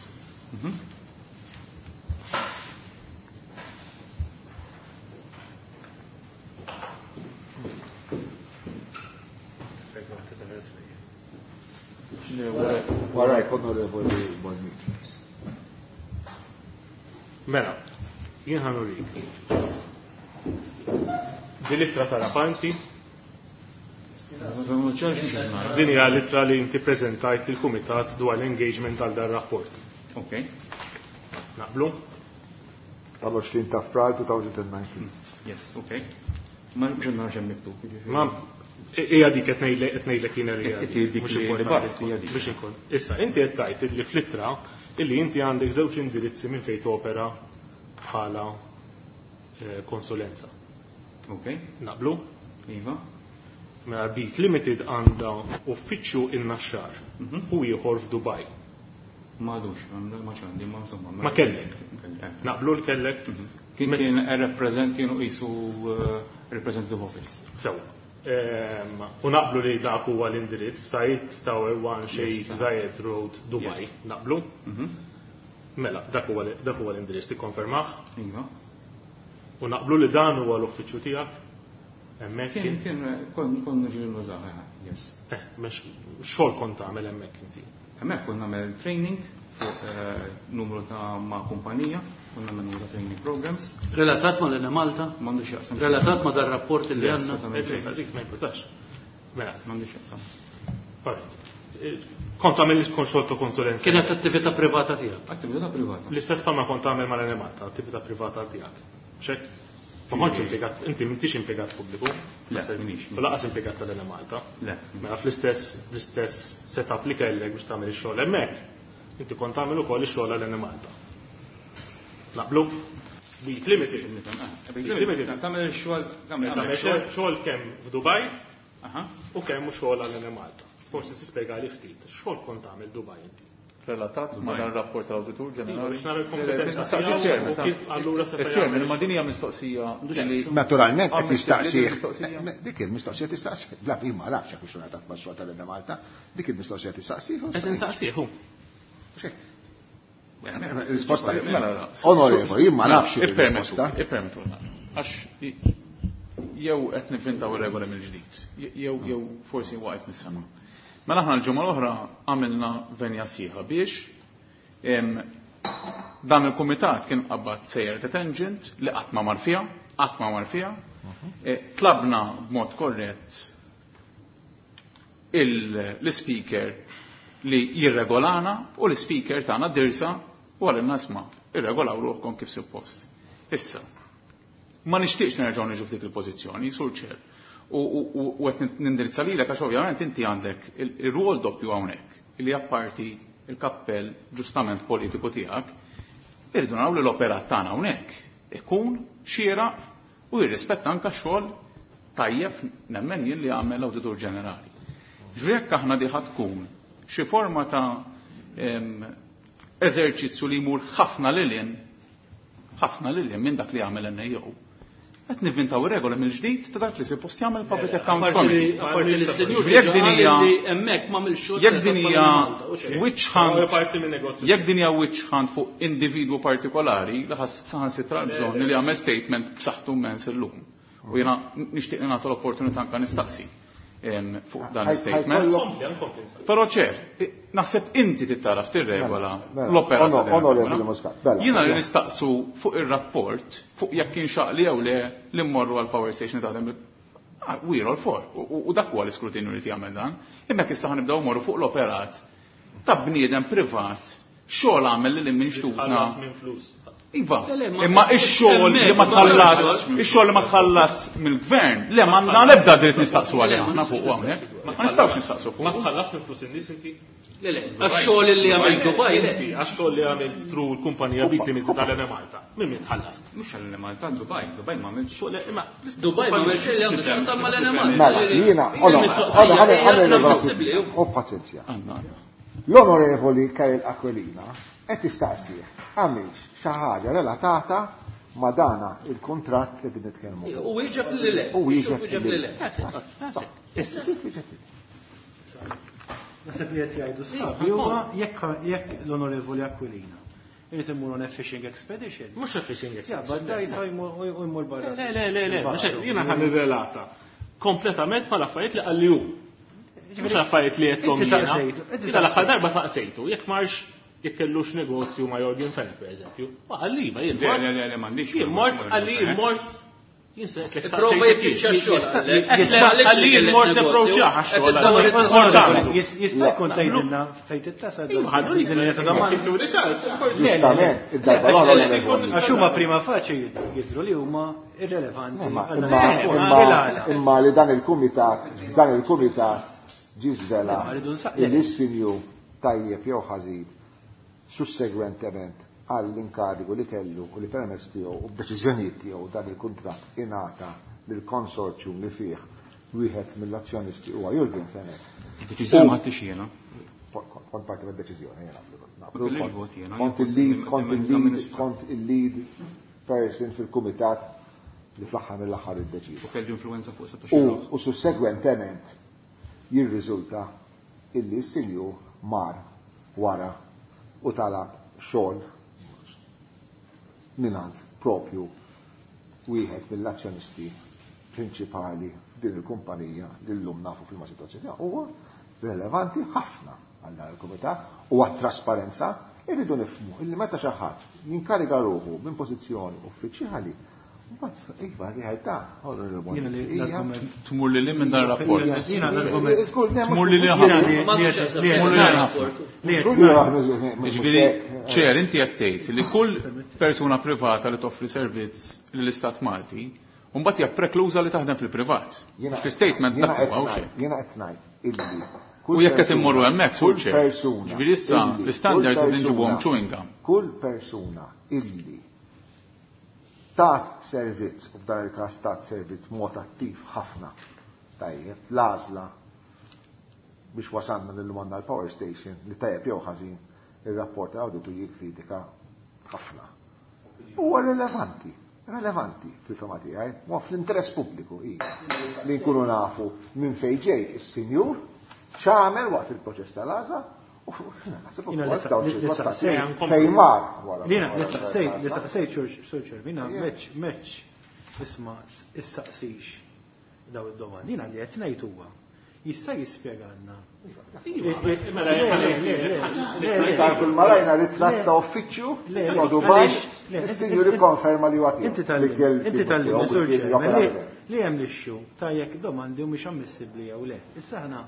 Onorevoli Bonnici.
Mela, jien ħa nurik. Din l-ittra ta' Rapanti, din hija l-ittra li inti preżentajt lill-Kumitat dwar l-engagement għal dan rapport.
Ok.
Naqblu?
Tal-20 ta' Frar 2019.
Yes, ok. Ma mhux nara x'hemm miktub. jiġifieri.
Ma hija dik qed ngħidlek qed ngħidlek jiena li hija
Qed dik
mhux
li
importanti
bgħatt, hija dik.
biex inkun. Issa inti qed tgħid li fl-ittra illi inti għandek żewġ indirizzi minn fejn topera bħala eh, konsulenza.
Ok.
Naqblu?
Iva.
Mela Beat Limited għandha uffiċċju in-Naxxar u ieħor f'Dubaj.
Ma għadux, ma ċandi, ma insomma.
Ma kellek.
Kelli, eh.
Naqblu l kellek?
Kien kien represent kienu qisu representative office.
Sewa. U naqblu li dak huwa l-indirizz Said Tower 1 Sheikh Zayed Road Dubai.
Yes.
Naqblu? Mela, dak huwa dak huwa l-indirizz tikkonfermah
Iva.
u naqblu li dan huwa l-uffiċċju tiegħek hemmhekk
Kien
kien.
kien kon kon ġieli nużaw, eh, yes.
Eh, mhux xogħol kont tagħmel hemmhekk inti.
Hemmhekk konna nagħmel training fuq eh, numru ta' ma' kumpanija, konna nagħmel numru ta' training programs.
Relatat ma' l Malta?
M'għandux jaqsam.
Relatat ma' dar rapport li
Yes,
għandna?
assolutament.
Eh, ġej, dik ma jimpurtax. Mela,
M'għandux jaqsam.
alright. Eh, Kont tagħmel xogħol ta' konsulenza.
Kienet attività privata tiegħek.
Attività privata.
L-istess bħalma kont tagħmel mal-Enemalta, attività privata tiegħek. Xek? Ma kontx impjegat, inti m'intix impjegat pubbliku.
Le, minix.
U laqas impjegat tal-Enemalta.
Le.
Mela fl-istess l-istess setup li kellek biex tagħmel ix-xogħol hemmhekk, inti kont tagħmel ukoll ix-xogħol għal Enemalta. Naqblu? Beat Limited. Beat Limited.
Tagħmel ix-xogħol, tagħmel
Tagħmel xogħol xogħol kemm f'Dubaj
Aha.
u kemm xogħol għal Enemalta. Forsi tispjega li ftit, xogħol kont tagħmel Dubaj inti.
Relatat ma dan rapport tal-Awditur Ġenerali.
Biex nara l-kompetenza
Staqsi
tiegħu
ċermen,
u kif allura seta'
Il-ċermen,
jagħmel
imma din hija mistoqsija li
Naturalment qed
Ammissibbli
jistaqsih.
mistoqsija?
Dik il-mistoqsija tistaqsih. Bla jien ma nafx jekk hux relatat ma' xogħol tal-Malta, dik il-mistoqsija tistaqsih.
Qed insaqsih hu.
Risposta.
Mela,
Onorevoli, jien ma nafx
Ippermettu,
il-risposta.
ippermettu. Għax jew qed nivvintaw ir-regola mill-ġdid, jew jew forsi waqgħet mis-sema. Mela aħna l-ġimgħa l-oħra għamilna venja sieħa biex em, dan il-kumitat kien qabad sejjer ta' tangent li qatt ma mar fiha, qatt ma mar fiha. Eh, Tlabna b'mod korrett l-speaker li jirregolana u l-speaker tagħna dirsa u għalilna isma' irregolaw ruħkom kif suppost. Issa, ma nixtieqx nerġgħu niġu f'dik il-pożizzjoni, sur ċer. U u- u qed nindirizza lilek għax ovvjament inti għandek il-rwol doppju hawnhekk li apparti il-kappell ġustament politiku tiegħek, irridu naraw li l-operat tagħna hawnhekk ikun xieraq u jirrispetta anke x-xogħol tajjeb nemmen jien li għamel l-Awditur Ġenerali. Ġri jekk aħna diħa tkun xi forma ta' em, eżerċizzju li jmur ħafna lilin ħafna lilin minn dak li għamel NAO. Qed nivvintaw regola mill-ġdid ta' dak li suppost jagħmel Public Accounts
Apparti li
Committee.
apparti li s-senjur
Jekk
diġà
din
qal
hija-
li hemmhekk m'għamilx xogħol
Jekk din
relatat
hija
mal-Malta, u xejn.
witch
Huwa
hunt,
parti minn negozju.
jekk din hija witch hunt fuq individwu partikolari, li ħass saħansitra bżonn li jagħmel statement b'saħħtu immens illum. U jiena nixtieq li nagħtu l-opportunità anke nistaqsi em, fuq dan l-statement.
Kompli, nkompli nsaqsi.
Però ċer, naħseb inti tittaraf tirregola
Mela, mela.
l-opera ta' din
Onorevoli
il-kamra.
Muscat, bella.
Jiena li nistaqsu fuq ir-rapport, fuq jekk kien xaqli jew le li mmorru għal power station taħdem bil- Ah, we're all for. U- U u dak huwa l-iskrutinju li jagħmel dan. Imma jekk issa ħanibdew mmorru fuq l-operat ta' bniedem privat xogħol għamel lil minn xtutna.
Tħallas minn flus.
Iva,
Le, le, ma-
imma ix-xogħol li ma tħallas, ix-xogħol li ma tħallas mill-gvern, le ma għandna l-ebda dritt nistaqsu għalih aħna fuq hawnhekk. Ma nistgħux nistaqsu
Ma
fuq.
tħallas minn flus in-nies inti.
Le, le, għax-xogħol li għamel Dubai, le.
Inti għax-xogħol li għamilt through l-kumpanija Beat Limited tal-Enemalta. Minn min tħallast?
Mhux għal Malta, Dubai, Dubai ma għamilx.
Xogħol imma l-istess
Dubai ma
kumpanija.
għamilx li għandu x'jaqsam mal-Enemalta.
Mela, jiena, ħana
Inammissibbli,
ħana u paċenzja.
Għandna, għandna.
L-onorevoli Kyle Aquilina qed jistaqsih għamilx xi ħaġa relatata ma' dana il-kuntratt li qed nitkellmu. fuq.
U wieġeb li le.
U wieġeb
Wieġeb
li
li
le.
le.
Issa kif wieġeb li?
Naħseb li qed jgħidu sħabi huwa jekk jekk l-Onorevoli Aquilina irid imur on a fishing expedition.
Mhux a fishing
Ja,
expedition.
bad jmur u jmur barra.
Le, le, le, le, mhux hekk, jiena ħan nirrelata kompletament mal-affarijiet li qalli hu. Mhux affarijiet li għedthom jiena. Jiena l-aħħar darba saqsejtu, jekk marx jekk kellux negozju ma' Yorgen Fenech pereżempju. Ma qalli iva jien.
Le, le, le, m'għandix.
Jien mort qalli jien mort jien se qed
Prova jiffiċċja x-xogħol.
Qalli jien mort approachjah għax-xogħol.
Jista' jkun tgħidilna fejn tittasal.
Iva, ħadu li ċans.
Ġustament, id-darba l-oħra.
Għax huma prima facie jidhru li huma irrelevanti.
Imma li dan il-kumitat, dan il-kumitat ġie żvela li s-sinjur tajjeb jew ħażin sussegwentement għall-inkarigu li kellu u li permezz tiegħu u b'deċiżjonijiet tiegħu dan il-kuntratt ingħata lill-consortium li fih wieħed mill-azzjonisti huwa Yorgen Fenech.
Deċiżjoni ma ħadtix jiena.
Kont parti mid-deċiżjoni jiena.
Kellix vot jiena.
Kont il-lead, kont il-lead, kont il-lead person fil-kumitat li fl-aħħar mill-aħħar iddeċida.
U kelli influenza fuq 16.
U sussegwentement jirriżulta illi s-sinjur mar wara u talab xogħol mingħand propju wieħed mill-azzjonisti prinċipali din il-kumpanija li llum nafu fil-ma situazzjoni huwa relevanti ħafna għal dan il-kumitat u għat-trasparenza irridu nifhmu illi meta xi ħadd jinkariga ruħu minn pożizzjoni uffiċjali mbagħad iva r-realtà
Tmur li li minn dan rapport.
Jiena l-argument.
Tmur li li ħafna. Tmur li li ħafna. Ġifieri, ċer, inti qed tgħid li kull persuna privata li toffri servizz lill-Istat Malti, mbagħad hija prekluża li taħdem fil-privat. Fl-statement dak huwa xejn.
Jiena qed ngħid illi
U jekk qed immorru hemmhekk sur ċer. Ġifieri issa l-istandards qed inġibuhom chewing gum.
Kull persuna illi tat servizz, u f'dan il-każ tat servizz mod attiv ħafna, tajjeb, l-għażla biex wasalna lil għandna l-power station li tajjeb jew ħażin ir-rapport tal-awditu jikkritika ħafna. Huwa rilevanti, relevanti fil-fema tiegħi, huwa fl-interess pubbliku iva, li nkunu nafu minn fejn ġej is-sinjur, x'għamel waqt il-proċess tal-għażla, u fejn mar wara.
Lina, li saqsejt, Sur Ċervina, meċ, isma, issaqsix daw id-domandi. Jina li qed ngħid huwa, jista' jispjegalna.
Sar kull marajna ritratt ta' uffiċċju ma' Dubai, is-sinjur ikkonferma li huwa tiegħu.
Inti tal-li, Sur Ċervina, li hemm l-issue ta' jekk domandi mhumiex ammissibbli jew le. Issa aħna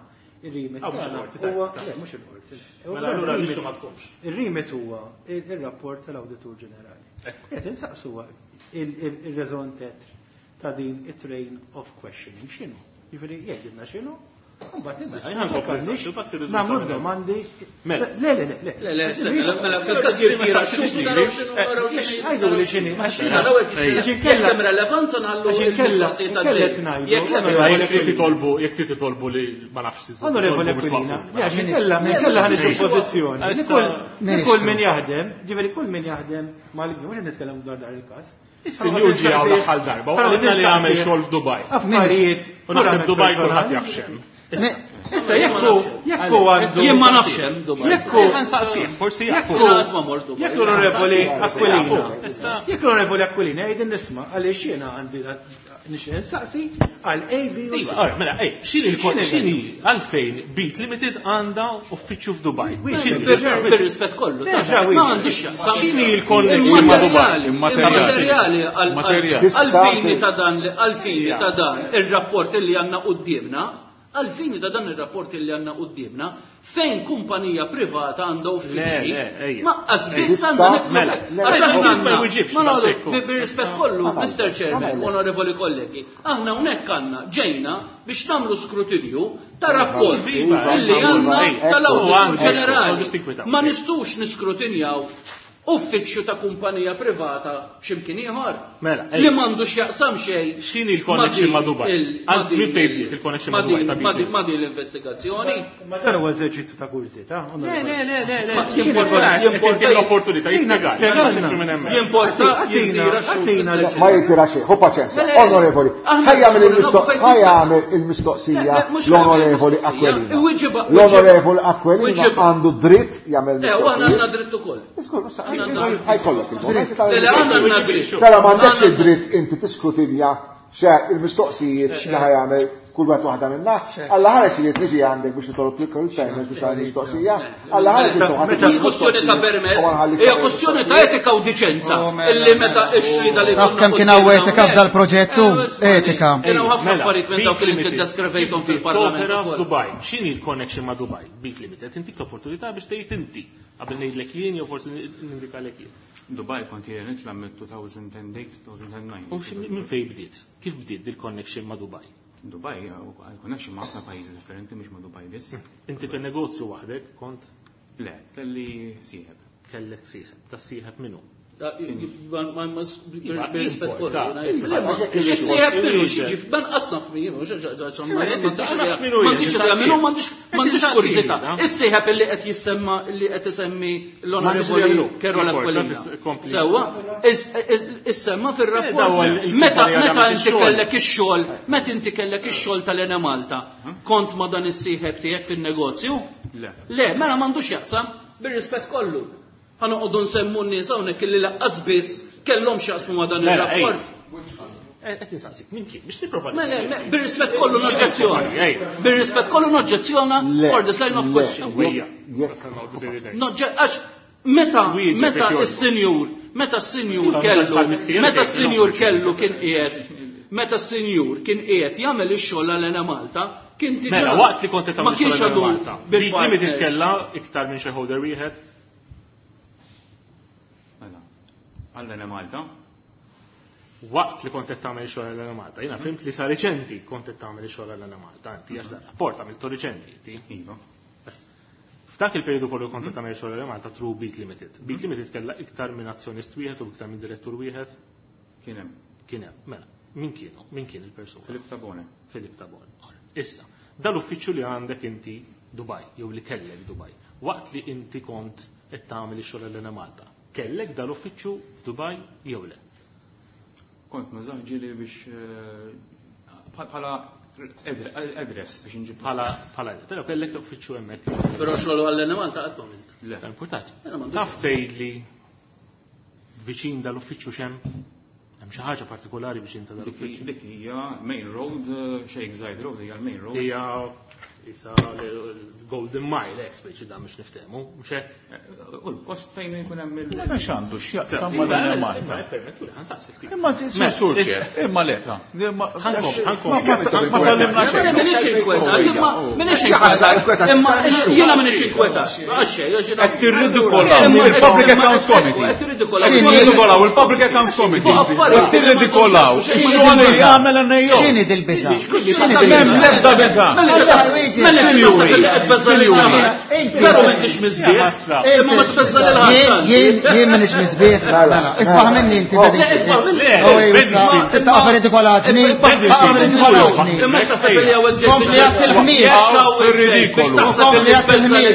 ir-remit huwa le mhux il-qorti.
Mela allura l-issue ma tkunx.
Ir-remit huwa ir-rapport tal-Awditur Ġenerali. Qed insaqsu il-raison d'être ta' din it-train of questioning x'inhu. Jiġifieri jgħidilna x'inhu, mbagħad nagħmlu domandi. Le, le, le, le.
Le, mela fil-każ jirtira
Għajdu li x'inhi.
Għax inkella hemm relevanza nħallu il-mistoqsijiet għaddej. Jekk hemm
Jekk trid titolbu, jekk trid titolbu li ma nafx
Onorevole Aquilina, għax inkella inkella ħan pożizzjoni. Kull min jaħdem, ġifieri kull min jaħdem mal-gvern, mhux nitkellem dwar dar il-każ.
Is-sinjur ġie hawn l-aħħar darba u qalilna li għamel xogħol f'Dubaj.
Affarijiet.
U naħseb Dubaj kulħadd jaf x'hemm.
Issa jekk jekk għandu.
Jien ma nafx hemm Dubaj.
Jekk hu
Nsaqsih, forsi jafu.
Jiena qatt ma mort Dubaj.
Jekk l-Onorevoli Aquilina. Jekk l-Onorevoli Aquilina jgħid nisma' għaliex jiena għandi nixtieq insaqsi għal A, B u C.
Iva, ora, mela, ej, x'inhi x'inhi għalfejn Beat Limited għandha uffiċċju f'Dubaj?
Bir-rispett kollu. Ma għandix x'jaqsam.
X'inhi l-connection ma' Dubaj?
Immaterjali għal-fini ta' dan għal-fini ta' dan ir-rapport li għandna quddiemna, għal-fini ta' dan ir-rapport li għandna quddiemna, fejn kumpanija privata għandha uffiċċji, ma biss għandha nidħlu. Għax aħna għandna, bir-rispett kollu, Mr. Chairman, onorevoli kollegi, aħna hawnhekk għandna ġejna biex nagħmlu skrutinju ta' rapport illi għandna tal-Awditur Ġenerali. Ma nistgħux niskrutinjaw uffiċċju ta' kumpanija privata x'imkien ieħor.
Mela,
li m'għandux jaqsam xejn.
X'inhi l-connection ma' Dubai? Min fejn bdiet il-connection ma' Dubai?
Ma' din l-investigazzjoni.
Ma dan huwa eżerċizzju ta' kurżità.
Le, le, le, le, le.
Jimporta l-opportunità jispjegar.
Jimporta jirtira
xejn. Ma jirtira xejn, hu paċenzja. Onorevoli, ħajja il-mistoqsija l-Onorevoli Aquilina. L-Onorevoli Aquilina għandu dritt jagħmel.
Eh, u aħna għandna dritt ukoll.
Ħajkollok il-moment. Tara m'għandekx id-dritt inti tiskrutinja xe il-mistoqsijiet x'li ħajamel. kull wieħed waħda minna. Alla ħares li niġi għandek biex nitolb il-permess biex għandi mistoqsija. Alla ħares li
Meta kwestjoni ta' permess, hija kwestjoni ta' etika u diċenza
Oh, mela,
illi meta
mela.
x-xhieda li
Taf kemm kien hawn etika f'dal-proġettu? Etika.
Kien hawn ħafna
Mela,
affarijiet minn dawk li
Beat
inti
Limited.
ddeskrivejthom
Inti
fil-Parlament
topera
ukoll.
f'Dubai. X'inhi l-connection ma' Dubai? Beat Limited. Intik l-opportunità biex tgħid inti qabel ngħidlek jien jew forsi nindikalek jien.
Dubai kont jien nitla' mill-2008, 2009.
U minn fejn bdiet? Kif bdiet dil-connection ma' Dubai?
Dubai, connection ma' ħafna pajjiżi differenti mhux ma' Dubai biss.
Inti fin-negozju waħdek kont
Le, kelli sieħeb.
kellek sieħeb. Ta' sieħeb minnu?
Bir-rispett kollu.
Iva,
Is-sieħeb minnu xiġi f'banqas naf min,
nafx minnu jien,
m'għandix idea minnu, m'għandix kurżità.
Issa.
Is-sieħeb illi qed jissemma li qed isemmi
M'għandix idea
l-Onorevoli
minnu.
Carola
Report,
Aquilina.
kompli.
Sewwa, issemma
Daw
fir-rapport.
il-
Meta
il-kumpanija
meta
li għamlet
inti
ix-xogħol.
kellek ix-xogħol, meta inti kellek ix-xogħol tal-Ena Malta, kont ma dan is-sieħeb tiegħek fin-negozju?
Le.
Le, mela m'għandux jaqsam bir-rispett kollu. Ħa noqogħdu nsemmu n-nies hawnhekk illi laqqas biss kellhom x'jaqsmu ma' dan
Mela,
ir-rapport.
Qed insaqsik, min kien? Biex nipprova.
Mela, bir-rispett kollu noġġezzjona.
Ej.
Bir-rispett kollu noġġezzjona
Le,
for this line of
le,
question.
Wejja.
jekk-
Għax meta
Wieġeb
meta
jekk jogħġbok.
s-sinjur, meta s-sinjur
Iva,
kellu,
tal-mistier
meta
jgħid,
s-sinjur
no.
kellu kien qiegħed, meta s-sinjur kien qiegħed jagħmel ix-xogħol għal Ena Malta, kien diġà
Mela, waqt li kont qed
ma
tagħmel
kienx
xogħol
għadu
Malta. Beat
bil-partner.
Limited kellha iktar minn shareholder wieħed.
Mela. Għallena Malta.
Waqt li kont qed tagħmel xogħol għal Malta, jiena fimt li sa riċenti kont qed tagħmel xogħol għal Malta, inti għax dan rapport għamiltu riċenti inti.
Iva.
F'dak il-periodu kollu kont qed tagħmel xogħol għal Malta through Beat Limited. Beat Limited kellha iktar minn azzjonist wieħed u iktar minn direttur wieħed
Kien hemm.
kien hemm. Mela, min kienu? Min kien il-persuna?
Filip Tabone.
Filip Tabon. Issa, dal-uffiċċju li għandek inti Dubai, jew li kellek Dubai, waqt li inti kont qed tagħmel ix-xogħol l Malta, kellek dal-uffiċċju f'Dubai jew le?
Kont nużah ġieli biex eh, bħala address biex nġib
Bħala bħala però kellek uffiċċju hemmhekk.
Però xogħol għal Ena Malta qatt m'għamilt.
Le.
Importanti.
Mela, m'għandux.
Taf tgħidli viċin dal-uffiċċju x'hemm? Hemm xi ħaġa partikolari viċin ta'
Dik
dal-uffiċċju?
dik hija main road, eh, Sheikh Zayed Road hija l-main road.
Hija isa l-Golden Mile, ex speċi da mhux niftehmu, mhux hekk?
Eh, U l-post fejn jkun hemm il-
Ma x'għandu x'jaqsam ma dan Malta.
Permettu li ħansaqsi ftit.
Imma sur sur imma leta.
Ħankom, ħankom.
Ma tallimna xejn.
Minix inkwetat, imma minix
Jaħasra,
inkwetat,
inkwetat.
imma jiena minix inkwetat. Għax xejn, għax jiena-
Qed tirridikolaw
Imma-
il-Public
imma-
Accounts Committee.
Qed tirridikolaw.
X'inhi?
Tirridikolaw il-Public Accounts Committee.
Fuq affarijiet.
Qed Tirridikolaw ix-xogħol li jagħmel NAO.
X'inhi dil-biża'? X'inhi
M'hemm
dil-biża'?
l-ebda biża'.
Mela
Sinjuri,
sinjuri.
Inti-
Veru m'intix miżbieħ, imma ma tbeżża lil ħadd.
Jien jien minix miżbieħ. Mela, isma' minni inti
Oh.
Le,
Bedingfield.
isma' minni.
Oh, ejwa, Titqaf ridikolaġni, taqaf ridikolaġni.
Imma taħseb li hawn ġej.
Kompli għat il-ħmir.
Ridikolu.
Kompli għat il-ħmir.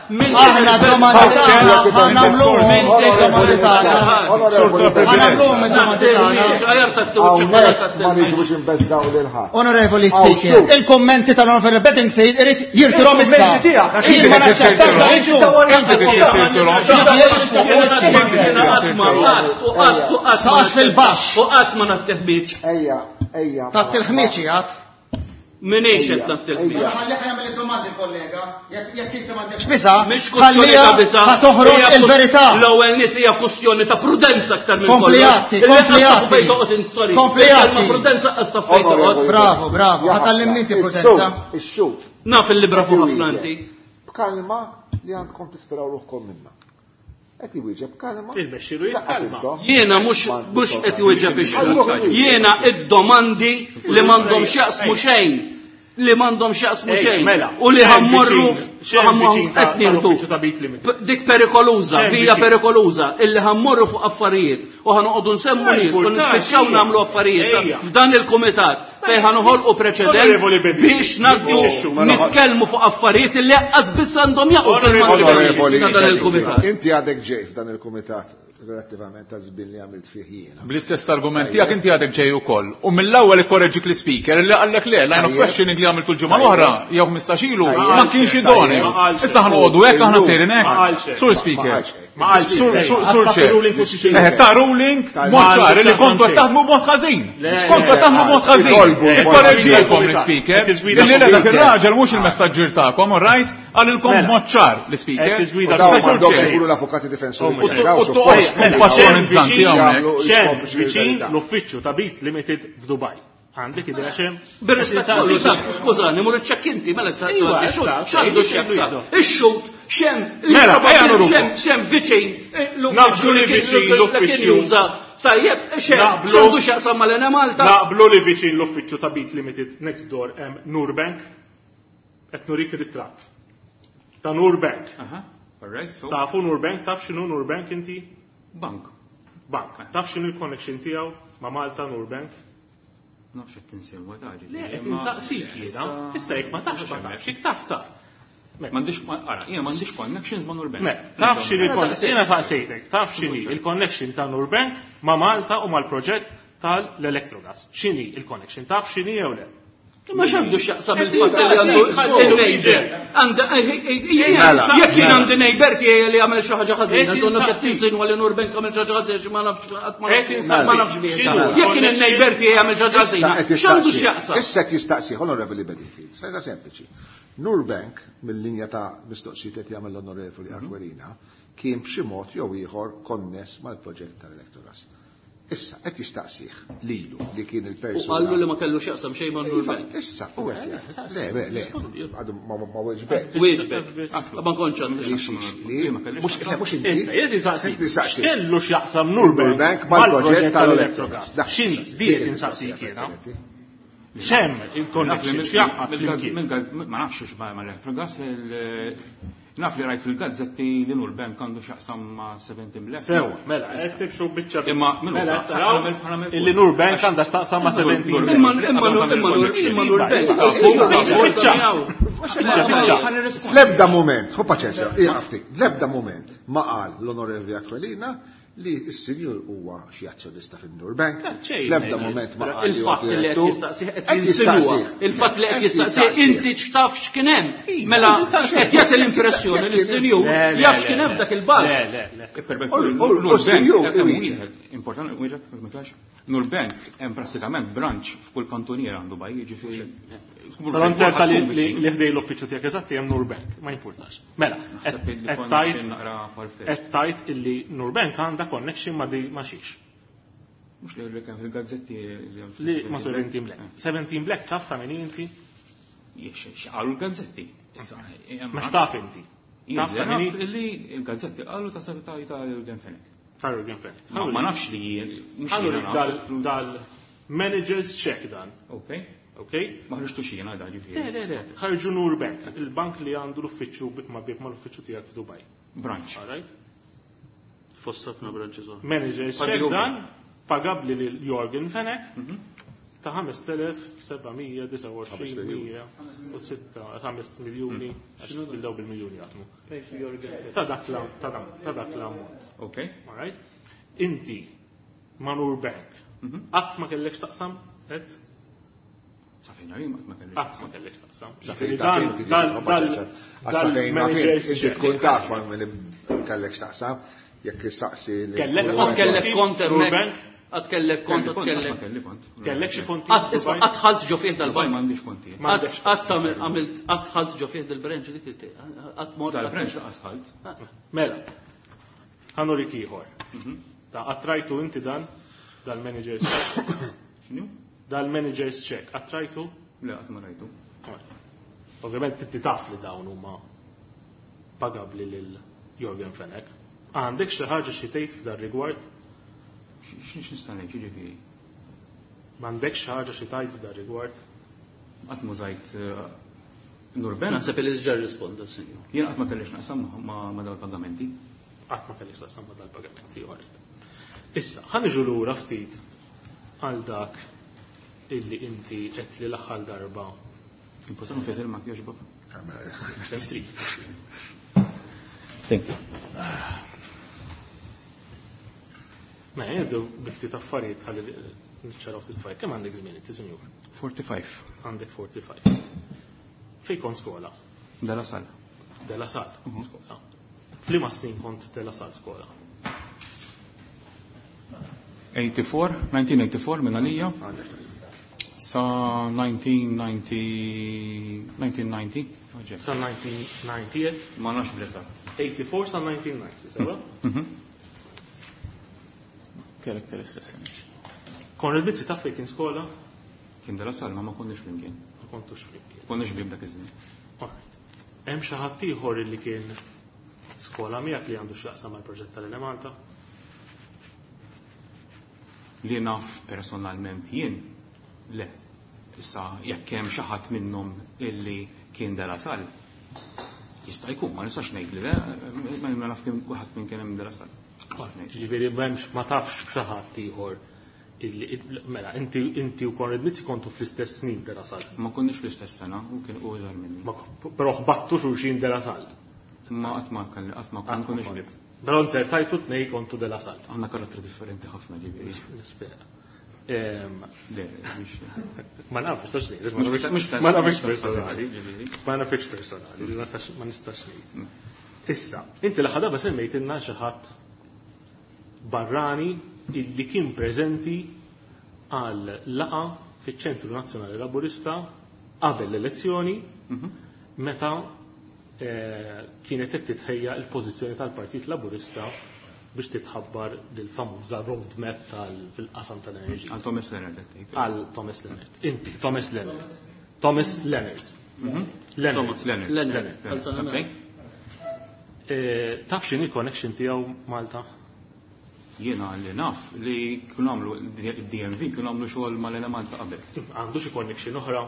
Aħna domandi tagħna ħa nagħmluhom id-domandi tagħna. Ħa nagħmluhom id-domandi tagħna.
Hawnhekk ma rridux inbeżżaw lil ħadd.
Onorevoli
Aw,
Speaker,
xuf.
il-kommenti tal-Onorevoli Bedingfield irid jirtirhom issa.
Il-kommenti tiegħek, għax
Jien ma
inti qed
naċċettax dan
tirtirhom.
il-xogħol.
Inti qed tirtirhom.
Taqax fil-baxx.
U qatt ma natteħbiċ.
Ejja, ejja.
Tat il-ħmieċ jgħat.
Minix qed natteħbiċ.
Ħalli jagħmel id-domandi kollega, jekk inti m'għandekx biża,
Mhix kwestjoni
ħallija
ta' biża.
ħa toħroġ
Hija
il-verità.
L-ewwel nies hija kwestjoni ta' prudenza aktar minn
Kompli
kollox.
għatti,
Illi
kompli
qas tafu
għatti.
fejn toqgħod int, sorry.
Kompli
Il-kelma
għatti.
prudenza qas taf fejn toqgħod.
Onorevoli.
Bravo, bravo,
Jaħasra,
ħatallimni inti prudenza.
Ix-xut.
Naf il-libra fuq ħafna inti.
B'kalma li għandkom tisperaw ruħkom minna. Qed iwieġeb kalma.
Il-mexxiru
Laqqas
jitkalma.
intom.
Jiena mhux mhux qed iwieġeb ix-xhud. Jiena id-domandi li m'għandhom x'jaqsmu xejn. Li m'għandhom x'jaqsmu
Ej,
xejn.
mela,
U li
xejn
ħammorru
viċin- xejn
ħammorru
viċin ta'
qed nieħdu.
tal-uffiċċju ta' Beat Limited.
Dik perikoluża,
Xejn
vija
viċin.
perikoluża, illi ħammorru fuq affarijiet u ħanoqogħdu nsemmu nies u
Importanti,
nispiċċaw
ejja.
nagħmlu affarijiet
Ejja.
f'dan il-kumitat fejn ħanoħolqu preċedent
Onorevoli Bebi,
biex ngħaddu
biex ix-xhur.
nitkellmu fuq affarijiet illi qas biss għandhom jaqgħu
Onorevoli
Onorevoli,
ta' dan il-kumitat.
Inti għadek ġej f'dan il-kumitat relattivament ta' żbin li għamilt fih jiena.
Bl-istess argument tiegħek inti għadek ġej ukoll. U mill-ewwel ikkoreġġik l-speaker li qallek le line of
Tajjeb.
questioning li għamil kull ġimgħa l-oħra jew 15 ilu
Tajjeb.
ma kienx idoneu.
Ma qalx.
Issa ħanoqogħdu hekk aħna
Illum.
sejrin
Ma
hekk.
qalx hekk.
Sur
Ma
speaker.
qalx hekk.
Ma qalx
Sur Chair. Ta' ruling mod ċar li kontu qed taħdmu b'mod ħażin. Kontu qed taħdmu b'mod ħażin. Ikkoreġielkom l-ispeaker. Illi le dak ir-raġel mhux il-messaġġier tagħkom, all right? Qalilkom b'mod ċar l-ispeaker.
M'għandhomx ikunu l-avukati difensuri.
U toqgħodx tkun patronizzanti hawnhekk.
Viċin l-uffiċċju ta' Beat Limited f'Dubaj. Għandek idea xem?
Bir-rispett kollu, skużani, mur iċċekk inti, mela x'għandu x'jaqsam. Ix-xut xem
Mela, ejja nurukom.
xem viċin
Naqblu li viċin l-uffiċċju.
Tajjeb, xem
Naqblu.
x'għandu x'jaqsam mal-Enemalta.
Naqblu li viċin l-uffiċċju ta' Beat Limited next door hemm Nurbank. Qed nurik ritratt. Ta' Nurbank.
Aha, all right, so.
Tafu Nurbank, taf x'inhu Nurbank inti?
Bank.
Bank. Taf x'inhu l-connection tiegħu ma' Malta Nurbank?
Nafx qed tinsilwa ta' ġifieri.
Le, qed insaqsik jiena. Issa jekk ma tafx ma tafx, jekk taf taf.
M'għandix ara, jiena m'għandix connections ma' Nurbank.
Me, taf x'inhi l-connection, jiena saqsejtek, taf x'inhi il-connection ta' Nurbank ma' Malta u mal-proġett tal-Electrogas. X'inhi il-connection, taf x'inhi jew le?
Imma x'għandu x'jaqsam il-fatt li għandu il-neighbor. Jekk jien għandi neighbor tiegħi li jagħmel xi ħaġa ħażina, donna qed tinsinwa li Nurbank għamel xi ħaġa ħażina ma nafx qatt ma nafx bih. Jekk kien il-neighbor tiegħi jagħmel xi ħaġa ħażina, x'għandu x'jaqsam?
Issa qed jistaqsi, Onorevoli Bedingfield, sajda sempliċi. Nurbank, mill-linja ta' mistoqsijiet qed jagħmel l-Onorevoli Aquilina, kien b'xi mod jew ieħor konness mal-proġett tal-Electrogas. Issa, qed jistaqsih lilu li kien il-persuna.
U qallu li ma kellu x'jaqsam xejn ma' Nurbank.
Issa, u qed jgħid. Le, le, le. Għadu ma weġbek.
Wieġbek. Ma kontx għandi x'jaqsam.
Mhux mhux inti.
Issa, qed insaqsik.
Jistaqsih.
X'kellu x'jaqsam Nurbank
mal-proġett tal-Electrogas.
X'inhi di qed insaqsik jiena. X'hemm il-connection x'jaqgħad flimkien.
Ma nafx x'ma l-Electrogas, naf li rajt fil-gazzetti li Nurbank għandu x'jaqsam ma' 17 Black.
Sew, mela, qed tibxu biċċa.
Imma minn
mela
huwa?
taraw
Ħana
illi Nurbank għandha x'taqsam ma' 17 Black.
Imma imma imma imma Nurbank.
Biċċa.
L-ebda moment, hu paċenzja, jaqafti, l-ebda moment ma qal l-Onorevoli Aquilina li s-sinjur huwa xi azzjonista fin-Nurbank. L-ebda moment ma qal li huwa
Il-fatt li qed
direttur.
jistaqsih qed jinsinwa. Il-fatt li qed jistaqsih inti x'taf x'kien hemm. Mela qed jagħti l-impressjoni li s-sinjur jaf x'kien hemm f'dak il-bar.
Le, le, le.
U s-sinjur iwieġeb.
Importanti, wieġeb, ma tafx. Nurbank hemm prattikament branch f'kull kantuniera għandu baj, jiġifieri.
Però nzerta li li ħdej l-uffiċċju tiegħek eżatti hemm Nurbank, ma jimpurtax. Mela,
Naħseb li
qed
connection
tajt
naqra farfetched.
qed tajt illi Nurbank għandha connection ma' di ma' xiex.
Mhux li kemm fil-gazzetti li hemm
Li ma' 17 Black. 17 Black taf ta' min inti?
X'qalu l-gazzetti. Issa,
Ma x'taf inti? Taf ta' min
Naf li l-gazzetti qalu ta' ta' ta' Jurgen Fenech.
Ta' Jurgen Fenech.
Ma nafx li jien. mhux
Ħallu
jiena naf.
dal-managers check dan.
Ok.
Ok?
Ma ħriġtu xi jiena da ġifieri.
Le, le, le. Ħarġu Nurbank, il-bank li għandu l-uffiċċju bib ma' bib ma' l-uffiċċju tiegħek f'Dubaj.
Branch.
All right?
Fost ħafna branches oħra.
Managers check
Paglu.
dan, pagabli lil Jorgen Fenech ta' 5729 5 miljuni, għax bildaw bil-miljuni jaħdmu. Ta' dak la- ta' dan- ta' dak l-ammont.
Ok.
All right? Inti, ma' Nurbank, qatt ma kellek taqsam, et?
Sa fejn jien qatt ma kellix.
Qatt ma kellek taqsam.
Sa
Ġifieri
fejn taf inti,
dal-
hu
dal-
paċenzja. Sa fejn naf inti,
dal-managers
inti
check.
tkun taf ma minn kellek x'taqsam, jekk saqsi li.
Kellek
Qatt kellek kont hemmhekk.
Nurbank?
Qatt kellek kont, qatt
Kelli kont, qatt ma
kellek.
kelli kont.
Kellek xi konti?
Qatt isma' qatt ħalt ġo fih
Dubai
dal-bank.
m'għandix konti.
Qatt qatt għamilt qatt ħalt ġo fih dal-branch dik qatt mort.
Dal-branch laqas ħalt.
Mela, ħa nurik ieħor. Ta' attrajtu inti dan, dal-managers check.
X'inhu?
Dal-managers check, attrajtu?
Le qatt ma rajtu.
Ovvjament inti taf li dawn huma pagabli lil Jorgen Fenech. Għandek xi ħaġa xi tgħid f'dan rigward?
X'nista' ngħid jiġifieri?
M'għandek xi ħaġa xi tgħid f'dan rigward?
Qatt mużajt Nurbank.
Naħseb li diġà rrisponda s-sinjur.
Jien qatt ma kellix naqsam ma' dawn il-pagamenti.
Qatt ma kellix taqsam ma' dal-pagamenti, għarit. Issa, ħa niġu lura ftit għal dak illi inti qed li l-aħħar darba
Importanti fejn il-mak jogħġbok.
Kemm trid.
Thank you.
Ma jgħidu bi ftit affarijiet ħalli niċċaraw ftit affarijiet. Kemm għandek żmien inti, sinjur?
45.
Għandek 45. Fejn kont skola?
De La Salle.
De La Salle, skola. F'liema snin kont De La Salle skola?
84, 1984 minn għalija. Sa 1990, 1990.
Sa 1990?
Ma nafx bl-eżatt.
84 sa 1990, sewa?
Character assassination.
Konrad Mizzi taf fejn kien skola?
Kien De La Salle, ma ma konniex flimkien.
Ma kontux flimkien.
Konniex bib dak iż-żmien.
Alright. Hemm xi ħadd ieħor li kien skola miegħek li għandu x'jaqsam mal-proġett tal-Enemalta?
Li naf personalment jien, le. Issa jekk hemm xi ħadd minnhom illi kien De La Salle, jista' jkun, ma nistax ngħid li le, ma naf kien ħadd minn kien hemm De La Salle.
Ġifieri m'hemmx ma tafx b'xi ħadd ieħor illi mela inti u Konrad Mizzi kontu fl-istess snin De La Salle.
Ma konniex fl-istess sena, u kien u iżgħar minni.
Però ħbattu xulxin De La Salle.
Ma qatt ma kelli, qatt ma konniex ħbieb.
Però nzertajtu tnej kontu De La Salle.
Għandna karattri differenti ħafna ġifieri.
Nispera.
Le, mhux.
Ma nafx, nistax ngħid.
Mhux
Ma nafx personali. Ma nafx personali, ma nistax ngħid. Issa, inti l-aħħar darba semmejtilna xi ħadd barrani illi kien preżenti għal laqa fiċ-Ċentru Nazzjonali Laburista qabel l-elezzjoni meta kienet qed titħejja l-pożizzjoni tal-Partit Laburista biex titħabbar dil-famuża roadmap fil-qasam tal-enerġija.
Għal Thomas Leonard qed tgħid.
Għal Thomas Leonard. Inti, Thomas Leonard. Thomas Leonard. Leonard.
Thomas Leonard.
Leonard.
Leonard.
Taf x'inhi connection tiegħu Malta?
Jiena li naf li kienu għamlu d-DMV kienu għamlu xogħol mal-Enemalta qabel.
Għandu xi connection oħra?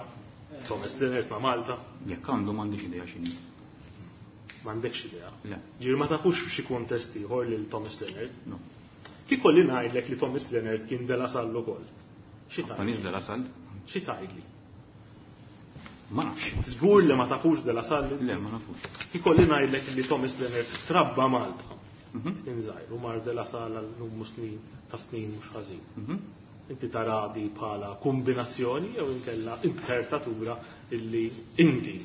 Thomas Leonard ma' Malta?
Jekk għandu m'għandix idea x'inhi.
M'għandekx idea?
Le.
Ġifieri ma tafux f'xi kuntest ieħor lil Thomas Leonard?
No.
Kif kolli ngħidlek li Thomas Leonard kien De La Salle ukoll? Xi
Ma
tgħidli?
nies De La Salle?
Xi tgħidli?
Ma nafx.
Żgur li ma tafux De La Salle?
Le, ma nafux.
Kif kolli ngħidlek li Thomas Leonard trabba Malta. Kien żgħir u mar De La Salle għal numru snin ta' snin mhux ħażin. Inti tara di bħala kombinazzjoni jew inkella inzertatura illi inti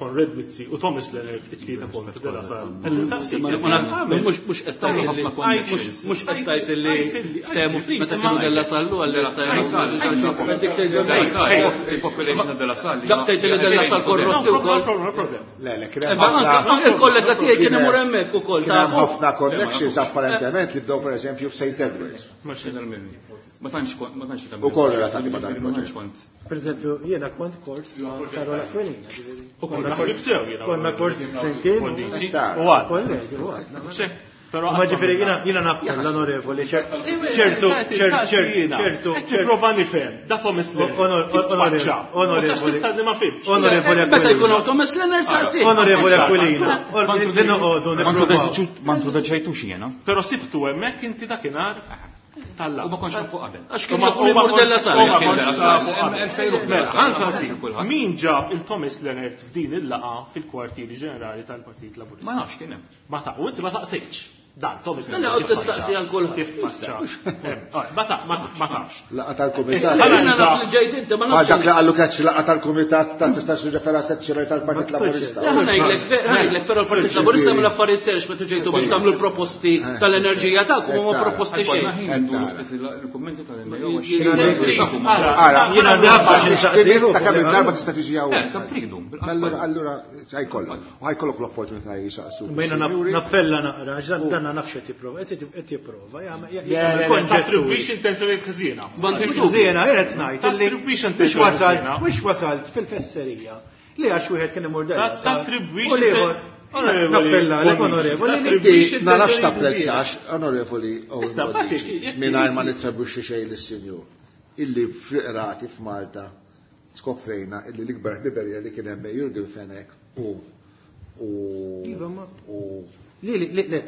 Konrad Mizzi u Thomas Leonard it-tlieta kontu De La Salle.
Mhux qed tgħid li mhux qed tgħid li ftehmu meta kienu De La Salle u għal
Il-population De La Salle.
Dak tgħid li De La Salle korrotti wkoll.
Le, le, kien hemm ħafna.
Il-kollega tiegħi kien imur hemmhekk ukoll.
Kien hemm ħafna connections apparentement li bdew pereżempju f'St. Edwards.
Ma Ma tantx kont, ma tantx
U kol relatati ma dan il-proġett.
kont.
Per eżempju, jiena kont kors ma' Carola Aquilina, ġifieri.
U konna ħbib sew jiena.
Konna kors flimkien.
U għad.
Kollegi, u għad.
Però
Ma ġifieri jiena nappella l-onorevoli, ċertu, ċertu, ċertu.
Prova nifhem, da Thomas Leonard.
Onorevoli.
Tista' ma fimx.
Onorevoli
Meta jkun hawn Thomas Leonard saqsi.
Onorevoli Aquilina. Li noqogħdu nippruvaw.
Ma introduċejtux jiena.
Però sibtu hemmhekk inti dakinhar tal-laqgħa.
U ma kontx nafu qabel.
Għax kien jafu li mur De La Salle.
Min ġab il-Thomas Leonard f'din il-laqgħa fil-kwartieri ġenerali tal-Partit Laburista?
Ma nafx kien hemm.
Ma ta' u inti ma saqsejtx. Dan, Thomas
Mela qed tistaqsi għal kulħadd.
Kif tfaċċa. Ma tafx.
Laqgħa tal-kumitat.
Jiena naf li ġejt inti ma
Ma
nafx.
dak li qallu keċ laqgħa tal-kumitat ta' tista' tirrefera sezzjoni tal-Partit Laburista.
Le, ħa ngħidlek, ħa ngħidlek, però l-Partit Laburista mill affarijiet serx meta ġejtu biex tagħmlu l-proposti tal-enerġija tagħkom u ma proposti xejn.
Konna ħin nduru ftit il-kummenti tal-NAO.
Ara,
Jiena naf għax
Nixtieq ta' kemm il-darba tista' tiġi hawnhekk.
Kemm tridu.
Allura, allura ħajkollok. U ħajkollok l-opportunità jisaqsu.
Ma jiena nappella naqra, għax dan nafx qed jipprova, qed jipprova,
Le, Tattribwix intenzjonijiet ħżiena.
M'għandix dubju.
Żiena, qiegħed ngħid illi
Tattribwix
mhux
intenzjonijiet
wasalt,
ħżiena.
mhux wasalt fil-fesserija li għax wieħed kien imur della.
Tattribwix
U l-ieħor nappella lek onorevoli li
Inti ma nafx tapprezzax, onorevoli Owen
Issa,
Bonnici,
jekk-
mingħajr ma nittribwixxi xejn lis-sinjur, illi fl-qrati f'Malta skoprejna illi l-ikbar ħbiberija li kien hemm bejn Jurgen Fenech u u
Iva, ma-
u
Li li li le.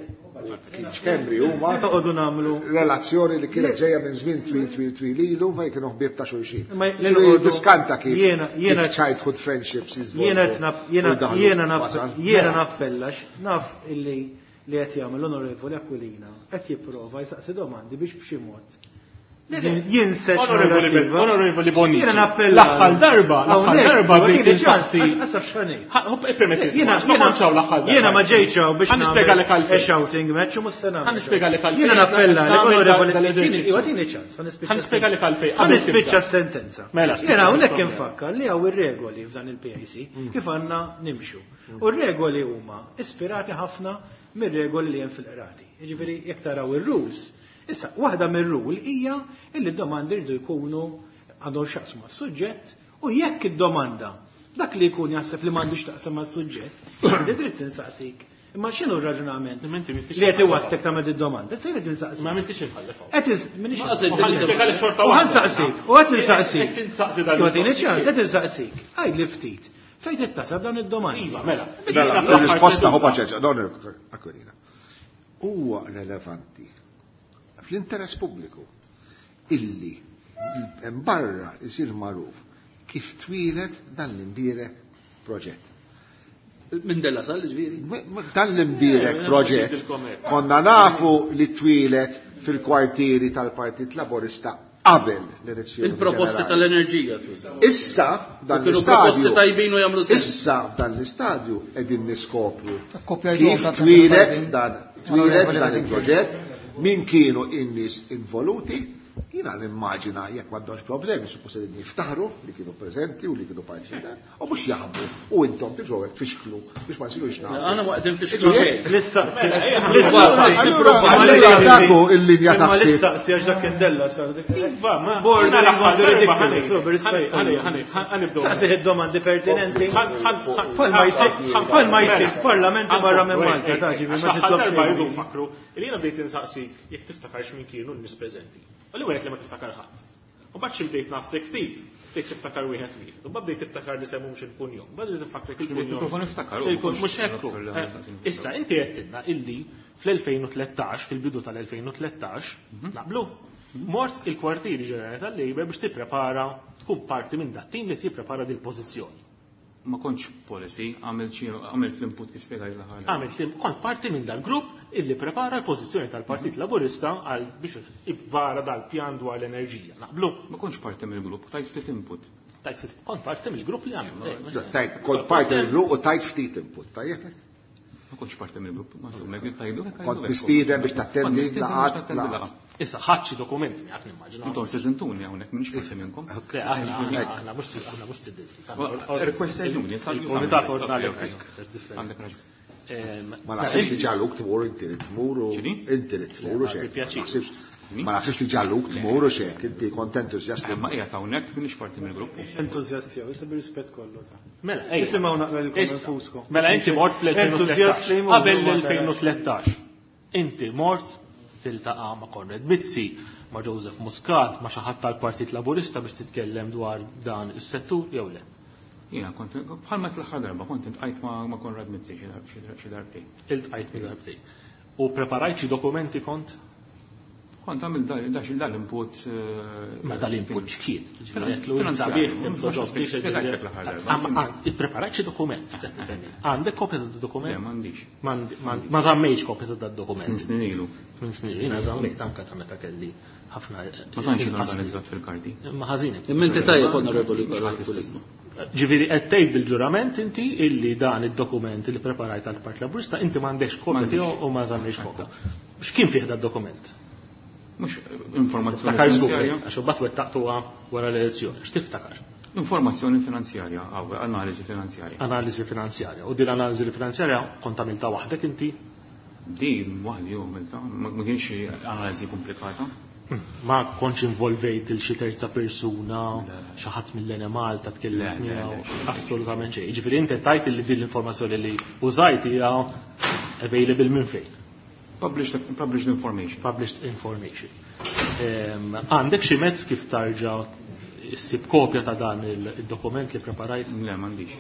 Keith Schembri huma
Noqogħdu nagħmlu
relazzjoni li kienet ġejja minn żmien twil twil twil ilu fejn kienu ħbieb ta' xulxin.
Ma
Ġifieri
noqogħdu-
Diskanta kif
jiena- jiena-
kif childhood friendships jiżvolġu
Jiena qed naf- jiena
u jdaħlu
jiena naf
wasal.
jiena nappellax naf illi li qed jagħmel l-Onorevoli Aquilina qed jipprova jsaqsi domandi biex b'xi mod. Jien se
Onorevoli Bonnici.
Jiena nappella.
L-aħħar darba, l-aħħar darba bdejt insaqsi.
Għasaf x'ħanejt.
Permetti, jiena ma kontx hawn l-aħħar darba.
Jiena ma ġejtx hawn biex
Ħa nispjegalek għalfejn.
Shouting match u mhux se nagħmel.
Ħa nispjegalek għalfejn.
Jiena nappella
Nagħmel dal-eżerċizzju.
Iwa tini ċans, ħa nispiċċa.
Ħa nispjegalek għalfejn.
Ħa nispiċċa s-sentenza.
Mela,
Jiena hawnhekk infakkar li hawn ir-regoli f'dan il-PIC kif għandna nimxu. U r-regoli huma ispirati ħafna mir-regoli li hemm fil-qrati. Jiġifieri jekk taraw ir-rules, issa waħda mir-rule hija illi d-domandi rridu jkunu għandhom x'jaqsmu mas-suġġett u jekk id-domanda dak li jkun jaħseb li m'għandux taqsam mas-suġġett, għandi dritt insaqsik. Imma x'inhu r-raġunament li qed iwasslek tagħmel id-domanda? Se jrid insaqsik.
Ma m'intix imħallef hawn.
Qed minix.
Ma qased
U ħa nispjegalek xorta
U
waħda.
ħansaqsik, u qed insaqsik.
Qed tinsaqsi dan
Tagħtini ċans, qed insaqsik. Għidli ftit. Fejn tittasab dawn id-domandi?
Iva, mela.
Mela, il-risposta hu paċeċa, don Aquilina. Huwa relevanti fl-interess pubbliku illi barra isir magħruf kif twieled dan l-imbierek proġett.
Minn Della Sal, ġifieri.
Dan l-imbierek proġett konna nafu li twieled fil-kwartieri tal-Partit Laburista qabel l-elezzjoni.
Il-proposti
ġenerali.
tal-enerġija tfisser.
Issa dan
Kienu
l-istadju.
proposti tajbin u jagħmlu sens.
Issa dan l-istadju qegħdin niskopru
Kopjajtuhom
kif
ta'
twieled
tajbin.
dan twieled
Onorevoli
dan
Bedingfield.
il-proġett, min kienu in-nies involuti, jiena nimmaġina jekk m'għandhomx problemi, suppost qegħdin jiftaħru li kienu preżenti u li kienu parċi u mhux jaħbu u intom tiġu hekk tfixklu biex ma nsirux nafu.
Għana waqt infixklu xejn.
Allura daku il-linja ta'
Imma
ħsieb.
l-istaqsi għax dak kien Della Sal.
Iva, ma.
Border
Jiena l-aħħar darba
ridiculous, so, b'rispett.
ħanibdew.
Saqsi id-domandi pertinenti. Bħalma jsir bħalma jsir f'parlamenti barra minn Malta, ta' ġifieri ma
Għax
titlob
darba
xejn.
jridu nfakru li jiena bdejt insaqsik jekk tiftakarx min kienu n-nies preżenti. U li wieħed li ma tiftakar ħadd. U mbagħad xi bdejt nafsek ftit, bdejt tiftakar wieħed wieħed. U mbagħad bdejt tiftakar li semmhomx il-kunjom. Mbagħad bdejt tiftakar il-kunjom.
Il-mikrofon iftakar, u
Il-kun- Mhux hekk.
mhux
Eh, Issa inti għedtilna illi fl-2013, fil-bidu tal-2013, naqblu, mort il-kwartieri ġenerali tal-Labour biex tipprepara tkun parti minn dat tim li tipprepara dil-pożizzjoni.
Ma kontx policy, għamilt xi għamilt l-input kif spjegali l-aħħar.
Għamilt li kont parti minn dal-grupp illi prepara l-pożizzjoni tal-Partit Laburista għal biex ivvara dal-pjan dwar l-enerġija. Naqblu,
Ma kontx parti mill-grupp, tajt ftit input.
tajt kont parti mill-grupp li għamil.
Tajt, kont parti mill-grupp u tajt ftit input, tajjeb?
Ma kontx parti mill-grupp, ma insomma, jekk tajdu hekk
Kont mistieden biex tattendi laqgħat, laqgħat.
Issa ħadd xi dokumenti miegħek nimmaġina.
Intom sedintuni hawnhekk m'iniex parti minnkom.
Le, aħna aħna mhux aħna mhux tidil.
Requestajtuni,
Il-Komitat ordnali.
Għandek raġun.
Ma naħsibx li ġaluk tmur inti li tmur u
X'inhi?
inti li tmur u xek.
Bi pjaċir.
Ma naħsibx li ġaluk tmur u xek, inti kont entużjast li
Ma qiegħed hawnhekk m'iniex parti mill-grupp.
Entużjast jew, issa bir-rispett kollu ta'.
Mela, ejja.
Isimgħu naqra lilkom
Issa,
infuskom.
Mela inti mort
Entużjast li
fl-2013.
jmur,
Qabel
ma tarax.
l-2013. Inti mort tiltaqa' ma' Konrad Mizzi, ma' Joseph Muscat, ma' xi ħadd tal-Partit Laburista biex titkellem dwar dan is-settur jew le.
Jiena kont bħalma l-aħħar darba kont intqajt ma' ma' Konrad Mizzi xi dar- xi dar- xi darbtejn.
Iltqajt mi darbtejn. U preparajt xi dokumenti kont?
Kont għamil da xi dal-input.
Ma dal-input x'kien? Ġifieri qed lu
Finanzjarju.
sabiħ kemm toġobni xi
Spjegajtlek l-aħħar darba.
Ippreparajt xi dokument. Għandek kopja ta'
Le,
dokument?
m'għandix.
Ma żammejx kopja ta' dokument.
Minn snin ilu.
Minn snin, jiena żammejt anke ta' meta kelli ħafna.
Ma tantx jien organizzat fil-karti.
Ma ħażin.
Imma inti tajjeb onorevoli
Mhux ħadd
Aquilina.
Ġifieri qed tgħid bil-ġurament inti illi dan id-dokument li preparajt għall Partit Laburista inti m'għandekx kopja
M'għandix.
tiegħu u ma żammejx kopja. X'kien fih dad-dokument?
Mhux informazzjoni
Tiftakar żgur,
finanzjarja.
għax imbagħad wettaqtuha wara l-elezzjoni. X'tiftakar?
Informazzjoni finanzjarja, għaw, analiżi finanzjarja.
Analiżi finanzjarja. U din l-analiżi finanzjarja kont għamilta waħdek inti?
Din waħdi u għamilta, ma ma kienx xi analiżi komplikata.
Ma kontx involvejt il xi terza persuna, xi ħadd mill-Ene Malta tkellem
Le, le,
miegħu,
le, xejn.
assolutament xejn. Jiġifieri inti tajt li din l-informazzjoni li użajt hija available minn fejn.
Published, published information.
Published information. Għandek xi mezz kif tarġa' issib kopja ta' dan il-dokument li preparajt?
Le, m'għandix.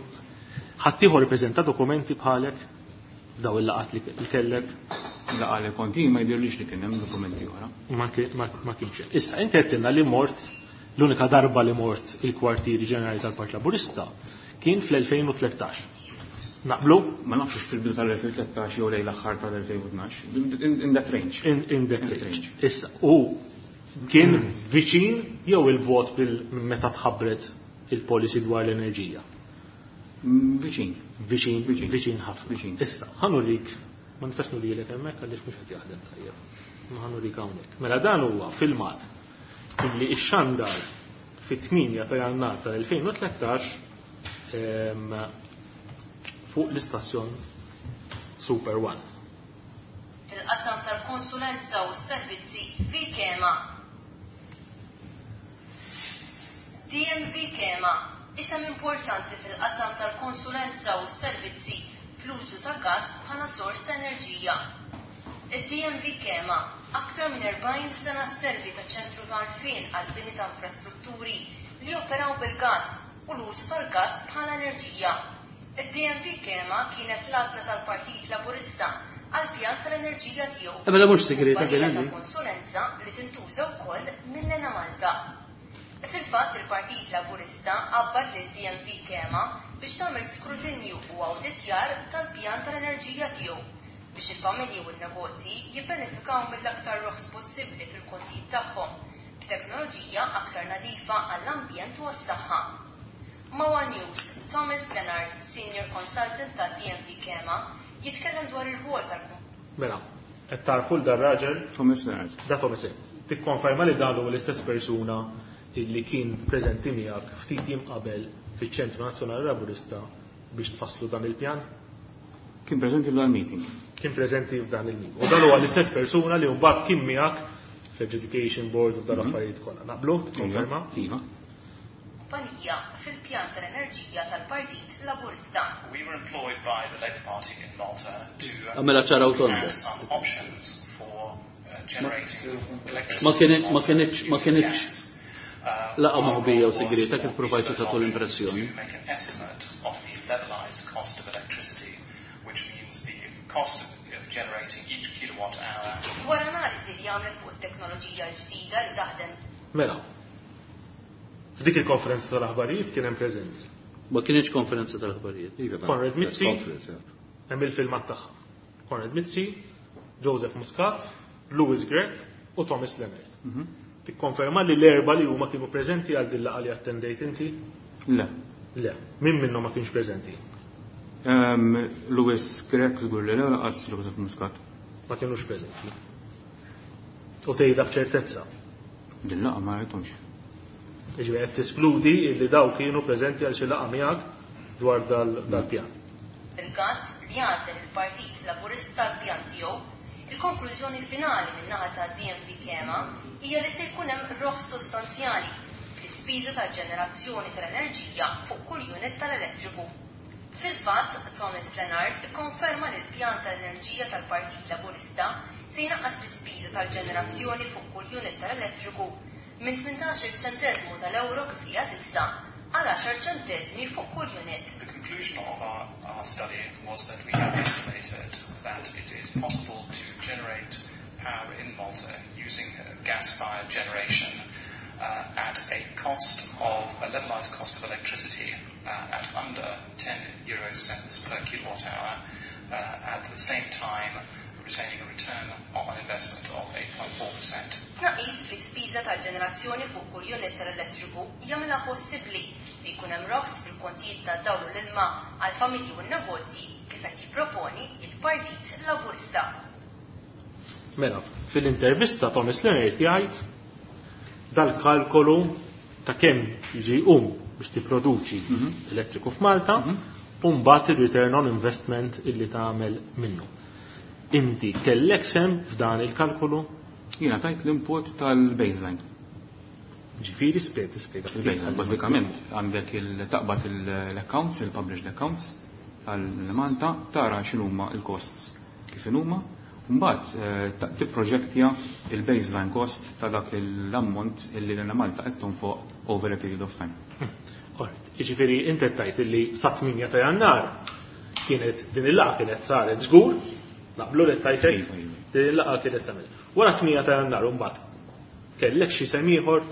Ħaddieħor ippreżenta dokumenti bħalek daw il-laqat li kellek?
Laqa li kont jien ma jidhirlix li kien hemm dokumenti oħra.
Ma kienx hemm. Issa inti għedtilna li mort l-unika darba li mort il-kwartieri ġenerali tal-Partit Laburista kien fl-2013. Naqblu?
Ma nafx hux fil-bidu tal-2013 jew lejn l-aħħar tal-2012. In that range.
In that range. Issa, u Kien viċin jew il-bogħod meta tħabbret il-policy dwar l-enerġija?
Viċin.
Viċin, viċin ħafna.
Viċin.
Issa, ħa nurik, ma nistax nurilek hemmhekk għaliex mhux qed jaħdem tajjeb. Ma ħa nurik hawnhekk. Mela dan huwa filmat illi ixxandar fit-8 ta' Jannar tal-2013 fuq l-istazzjon Super One.
Fil-qasam tal-konsulenza u s-servizzi Vikema. DMV Kema, isem importanti fil-qasam tal-konsulenza u s-servizzi fl-użu ta' gass bħala sors ta' enerġija. Id-DMV Kema, aktar minn 40 sena sservi ta' ċentru ta' għarfien għall-bini ta' infrastrutturi li joperaw bil-gass u l-użu tal-gass bħala enerġija. Id-DMV Kema kienet l-għażla tal-Partit Laburista għall-pjan tal-enerġija tiegħu.
Eh, mela mhux segreta
Kumpanija
kien
ta'
hemm.
konsulenza li tintuża wkoll mill-Enemalta. Fil-fatt il-Partit Laburista qabbad lil DMV Kema biex tagħmel skrutinju u awditjar tal-pjan tal-enerġija tiegħu biex il-familji u n-negozji jibbenefikaw mill-aktar roħs possibbli fil-kontijiet tagħhom b'teknoloġija aktar nadifa għall-ambjent u għas-saħħa. Ma' One News, Thomas Leonard, Senior Consultant ta' DMV Kema, jitkellem dwar ir-rwol tal
Mela, qed tarfu l dar-raġel?
Thomas Leonard.
Da Thomas Leonard. Tikkonferma li dan huwa l-istess persuna illi kien preżenti miegħek ftit jiem qabel fiċ-Ċentru Nazzjonali Laburista biex tfasslu dan il-pjan?
Kien preżenti f'dan il-meeting.
Kien preżenti f'dan il-meeting. U dan huwa l-istess persuna li mbagħad kien miegħek fl-Adjudication Board u f'dan l-affarijiet kollha. Naqblu? Tikkonferma?
Iva.
kumpanija fil-pjan tal-enerġija tal-Partit Laburista.
We were employed by the Labour Party in Malta to
Għamela ċara u tonda.
have some options for generating electricity.
Ma kienet ma kienitx ma kienitx laqgħa moħbija u segreta kif provajtu tagħtu l-impressjoni.
To make an estimate of the levelized cost of electricity, which means the cost of generating each kilowatt hour.
Wara analiżi li għamlet fuq it-teknoloġija l-ġdida li taħdem
Mela, f'dik il-konferenza tal-aħbarijiet kien hemm preżenti.
Ma kienitx konferenza tal-aħbarijiet.
Iva,
Konrad
press
Mizzi,
conference, yeah.
hemm il-filmat tagħha. Konrad Mizzi, Joseph Muscat, Louis Grech u Thomas Leonard. Tikkonferma li l-erba li huma kienu preżenti għal din laqgħa li attendejt inti?
Le.
Le. Min minnhom ma kienx preżenti?
Louis Grech żgur li le laqas Joseph Muscat.
Ma kienux preżenti. U tgħidha b'ċertezza.
Din laqgħa ma rajthomx.
Jiġifieri qed teskludi li daw kienu preżenti għal xi laqgħa miegħek dwar dal-pjan.
il-gass li għażel il-Partit Laburista l-pjan tiegħu, il-konklużjoni finali min-naħa ta' DMV Kema hija li se jkun hemm roħs sostanzjali fl-ispiża tal-ġenerazzjoni tal-enerġija fuq kull unit tal-elettriku. Fil-fatt, Thomas Leonard ikkonferma li l-pjan tal-enerġija tal-Partit Laburista se jnaqqas l-ispiża tal-ġenerazzjoni fuq kull unit tal-elettriku minn 18 ċenteżmu tal-euro kif hija issa għal 10 ċenteżmi fuq kull unit.
The conclusion of our study was that we have estimated that it is possible to generate power in Malta using gas-fired generation at a cost of a levelized cost of electricity at under 10 euro cents per kilowatt hour, at the same time retaining a return on investment of 8.4%.
Tnaqqis fl-ispiża tal-ġenerazzjoni fuq kull unit tal-elettriku jagħmilha possibbli li jkun hemm roħs fil-kontijiet tad-dawl u l-ilma għal familji u n-negozji kif qed jipproponi il-Partit Laburista.
Mela, fil-intervista Thomas Leonard jgħid dal-kalkolu ta' kemm jiġi jqum biex tipproduċi elettriku f'Malta u mbagħad il-return on investment illi tagħmel minnu. Inti kellek sem f'dan il-kalkolu?
Jiena tajt l-input tal-baseline.
Ġifieri spjega, tispjega ftit.
Il-baseline, bażikament għandek il-taqbad l-accounts, il-published accounts tal-Malta, tara x'inhuma il-costs kif inhuma, u mbagħad tipproġektja il-baseline cost ta' dak l-ammont illi l-Malta qed tonfoq over a period of time.
Alright, jiġifieri inti qed tgħid illi sa 8 ta' Jannar kienet din il-laqgħa kienet saret żgur, naqblu li tajt hekk?
Iva, iva.
Din il-laqgħa kienet saret. Wara 8 ta' Jannar mbagħad kellek xi sem ieħor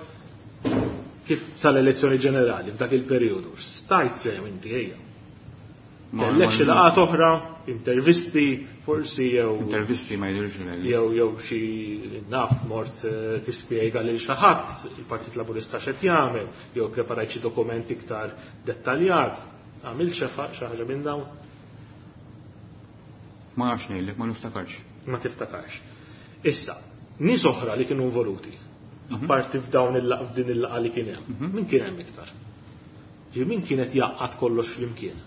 kif sal-elezzjoni ġenerali f'dak il-perjodu. Stajt sehem inti ejja. Kellek xi laqgħat oħra, intervisti, forsi jew.
Intervisti ma jidhirx li.
Jew jew xi naf mort tispjega lil xi ħadd il-Partit Laburista x'qed jagħmel, jew preparajt xi dokument iktar dettaljat. Għamilt xi ħaġa minn dawn?
Ma nafx ngħidlek, ma niftakarx.
Ma tiftakarx. Issa, nies oħra li kienu involuti, apparti f'dawn il-laqgħa f'din il-laqgħa li kien hemm, min kien hemm iktar? Ġifieri min kien qed jgħaqqad kollox flimkien?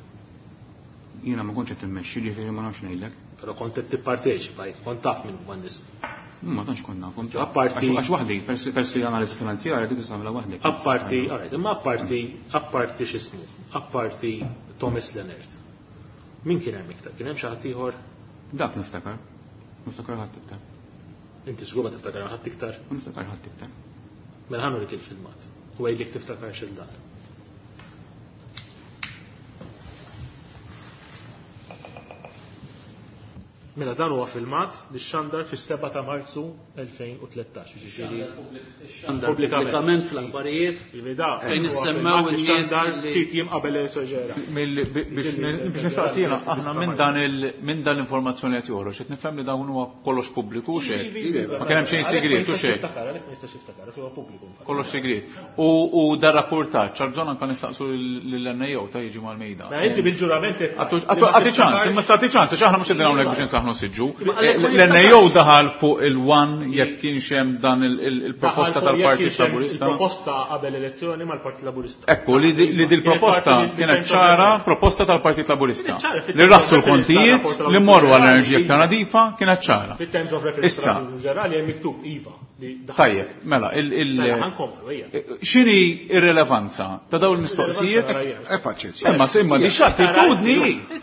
Jiena ma kontx qed immexxi, ġifieri ma nafx ngħidlek.
Però kont qed tipparteċipa, kont taf min huma n-nies.
Ma tantx kont nafhom. Apparti għax waħdi, peress li analiżi finanzjarja dik tista' tagħmilha waħdek.
Apparti, alright, imma apparti, apparti x'ismu, apparti Thomas Leonard. Min kien hemm iktar? Kien hemm xi ħadd ieħor?
Dak niftakar. Niftakar ħadd iktar.
Inti żgur ma tiftakar ħadd iktar?
Ma niftakar ħadd iktar.
Mela ħa nurik il-filmat u għidli jekk tiftakarx il dan. Mela dan huwa filmat li xxandar fis-7 ta' Marzu 2013, jiġifieri
pubblikament fl-aħbarijiet fejn issemmew in-nies
ftit jiem qabel l-elezzjoni ġenerali.
Biex nistaqsi jiena, aħna minn dan minn dan l-informazzjoni qed joħroġ, qed nifhem li dawn huwa kollox pubbliku u xejn. Ma kien hemm xejn sigriet u xejn. Kollox sigriet. U dar rapportaġġ għal bżonn anke nistaqsu lill-NAO ta' jiġi mal-mejda.
Ma inti bil-ġurament
Għati ċans, imma stati ċans, għax aħna mhux qegħdin hawnhekk biex insaħħnu siġġu. L-NAO daħal fuq il-one jekk kienx hemm dan il-proposta tal-Partit Laburista.
Il-proposta qabel elezzjoni mal-Partit Laburista.
Ekku, li dil-proposta kienet ċara proposta tal-Partit Laburista. Li raħsu l-kontijiet, li morru għall-enerġija iktar nadifa, kienet ċara.
Fit-terms of reference ġenerali hemm miktub iva.
Tajjeb, mela, il.
Mela, ħankomplu, ejja.
X'inhi r-rilevanza ta' dawn il-mistoqsijiet?
Eh, paċenzja.
Imma imma di x'attitudni,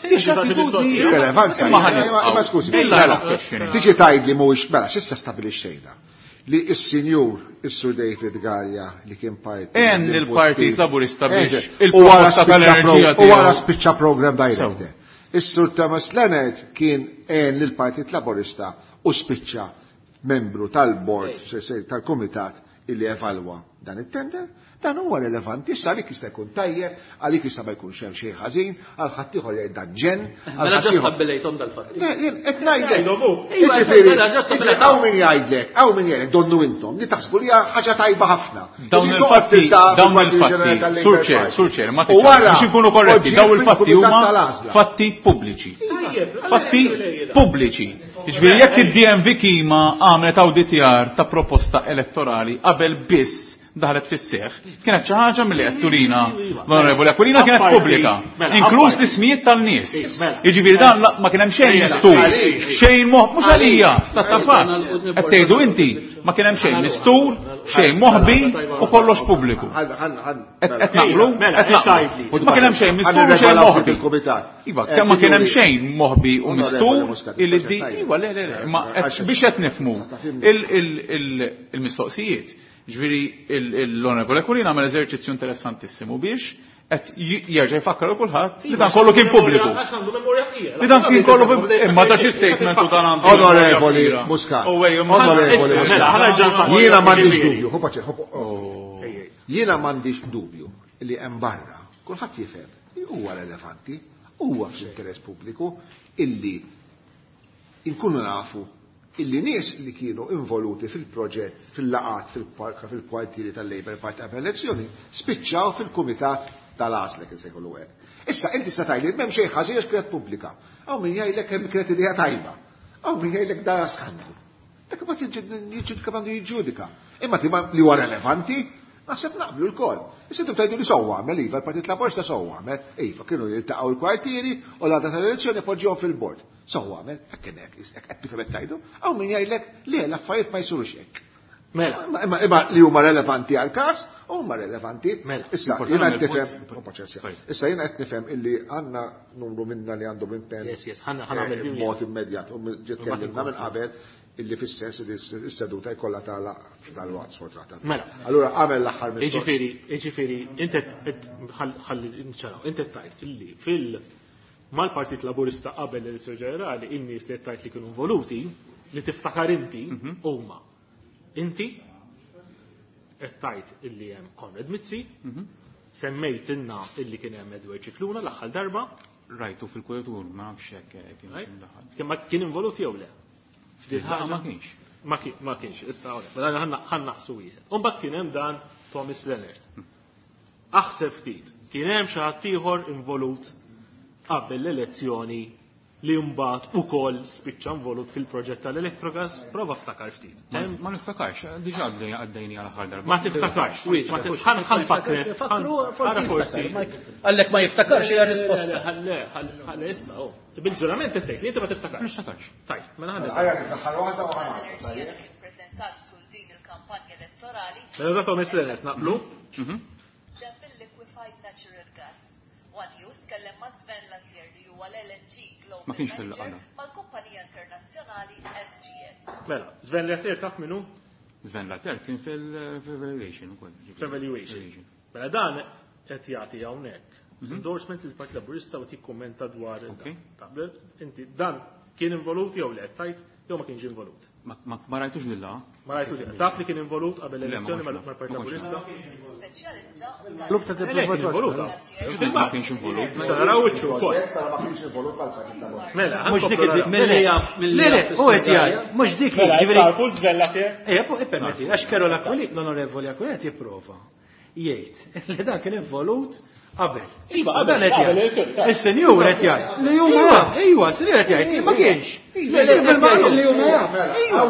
di x'attitudni.
Rilevanza. Imma skużi.
Mela,
tiġi tgħidli mhuwiex mela x'issa stabilixxejna li s-sinjur is-Sur David Gallia li kien parti.
En il-Partit Laburista biex il-proposta tal-enerġija.
U wara spiċċa program director. Is-Sur Thomas Leonard kien en lill-Partit Laburista u spiċċa membru tal-bord tal-kumitat illi evalwa dan it-tender, dan huwa relevanti, issa għalik jista' jkun tajjeb, għalik jista' ma jkunx hemm xejn ħażin, għal ħaddieħor jgħid dan ġenn.
Mela ġa stabbilejthom dal-fatti.
Jien qed ngħidlek. Jiġifieri,
mela ġa stabbilejthom.
Hawn min jgħidlek, hawn min jgħidlek, donnu intom, li taħsbu li hija ħaġa tajba ħafna.
Dawn il-fatti, dawn il-fatti, Sur Chair, Sur Chair, ma biex inkunu korretti, dawn il-fatti huma fatti pubbliċi. Fatti pubbliċi. Jiġifieri jekk id-DMV Kima għamlet awditjar ta' proposta elettorali qabel biss daħlet fis-seħħ, kienet xi ħaġa milli qed turina l-Onorevoli Aquilina kienet pubblika, inkluż l-ismijiet tan-nies. Jiġifieri dan ma kien hemm xejn mistur, xejn moħ, mhux għalija, sta ta' fatt. Qed tgħidu inti ma kien hemm xejn mistur, xejn moħbi u kollox pubbliku. Qed naqblu? Qed naqblu. Ma kien hemm xejn mistur u xejn moħbi. Iva, kemm ma kien hemm xejn moħbi u mistur illi di iva le le le, imma biex qed nifhmu il-mistoqsijiet. Ġifieri l-Onorevole Aquilina għamel eżerċizzju interessantissimu biex qed jerġa' jfakkar lil kulħadd li dan kollu kien pubbliku. Li dan kien kollu imma da xi statement u dan għandu.
Onorevoli Muscat. Onorevoli Muscat. Jiena m'għandix dubju, Jiena m'għandix dubju li hemm barra kulħadd jifhem li huwa relevanti, huwa fl-interess pubbliku illi inkunu nafu illi nies li kienu involuti fil-proġett, fil-laqat, fil-kwartieri tal-Labour Party qabel elezzjoni, spiċċaw fil-kumitat tal-għażla kien se jkollu hekk. Issa inti se tgħidli m'hemm xejn ħażin għax kienet pubblika. Hawn min jgħidlek hemm kienet idea tajba. Hawn min jgħidlek dan skandlu. Dak imbagħad jiġġudika għandu jiġġudika. Imma li huwa relevanti, naħseb naqblu lkoll. Issa intom tgħidu li sewwa għamel, iva, l-Partit Laburista sewwa għamel, iva, kienu jiltaqgħu l-kwartieri u l-għada tal-elezzjoni poġġihom fil-bord. Sewwa għamel, hekk kien hekk, hekk qed tifhem qed tgħidu, hawn min jgħidlek le l-affarijiet ma jsirux hekk.
Mela.
Imma imma li huma relevanti għall-każ, huma relevanti.
Mela.
Issa jiena qed nifhem, paċenzja. Issa jiena qed nifhem illi għandna numru minna li għandhom impenn.
Yes, yes, ħa nagħmel
eh, mod immedjat u ġiet tkellimna minn qabel illi fis-sens li s-seduta jkollha tagħlaq dal-waqt sfortunatament.
Mela.
Allura għamel l-aħħar mistoqsija.
Jiġifieri, jiġifieri, inti ħalli nċaraw, inti tgħid illi fil mal-Partit Laburista qabel l-elezzjoni ġenerali in-nies li qed tgħid li kienu involuti li tiftakar inti huma inti qed tgħid illi hemm Konrad Mizzi, semmejtilna illi kien hemm Edward Scicluna l-aħħar darba.
Rajtu fil-kuritur, ma nafx hekk kienx imdaħħal.
Kien ma kien involut jew le? F'din
Laqgħa
ħaġa?
ma kienx.
Ma kienx, issa hawnhekk. Mela ħa naqsu wieħed. U mbagħad kien hemm dan Thomas Leonard. Aħseb ftit, kien hemm xi ħadd ieħor involut qabel l-elezzjoni li mbagħad ukoll spiċċa involut fil-proġett tal-Electrogas, prova ftakar ftit.
Ma niftakarx, diġà għaddejni għal aħħar darba.
Ma tiftakarx, ħa nfakkrek.
Fakru,
Ara
forsi jiftakar. Għallek ma jiftakarx hija risposta.
Le, ħalli issa, oh. Bil-ġurament tgħid li inti ma tiftakarx.
Ma niftakarx.
Tajb, mela ħa
Ħajja niftakar waħda u ħa
L-enerġija li kien preżentat tul din il-kampanja elettorali
Mela da Thomas Leonard naqblu?
ġeb il-liquefied natural gas. One News tkellem ma' Sven Lathier li huwa l-LNG Global
Ma kienx fil-laqgħa
Manager mal-kumpanija internazzjonali SGS.
Mela, Sven Lathier taf minnu?
Sven Lathier kien fil-evaluation ukoll.
F'evaluation. Mela dan qed jagħti hawnhekk endorsement lill Partit Laburista u tikkummenta dwar
Ok.
Taqbel, inti dan kien involut jew le qed tgħid jew ma kienx involut.
Ma rajtux lilla.
Ma rajtux. Taf li kien involut qabel
Le, ma
l-elezzjoni
kontx naf.
mal-Partit
Ma kontx
Laburista?
Speċjalizza
Klub ta'
Le, kien involuta.
Ma kienx involut.
Mela naraw wiċċu wkoll.
Ma kienx involut għal-Partit Laburista.
Mela,
Mhux dik milli jaf milli
Le, le,
jaf
u qed jgħid, mhux dik
Mela,
jiġifieri.
tarfu Sven Lathier?
Ejja, ippermetti, għax Karol Aquilina, l-onorevoli Aquilina qed jipprova jgħid li dan kien involut qabel.
Iva, qabel,
Dan qed
qabel
jgħid.
l-elezzjoni, ta'
Is-senjur qed jgħid li huma jaf, ejwa, s-senjur qed jgħid li ma kienx.
Le, le,
Bil-maqlub.
li huma jaf.
Ejwa.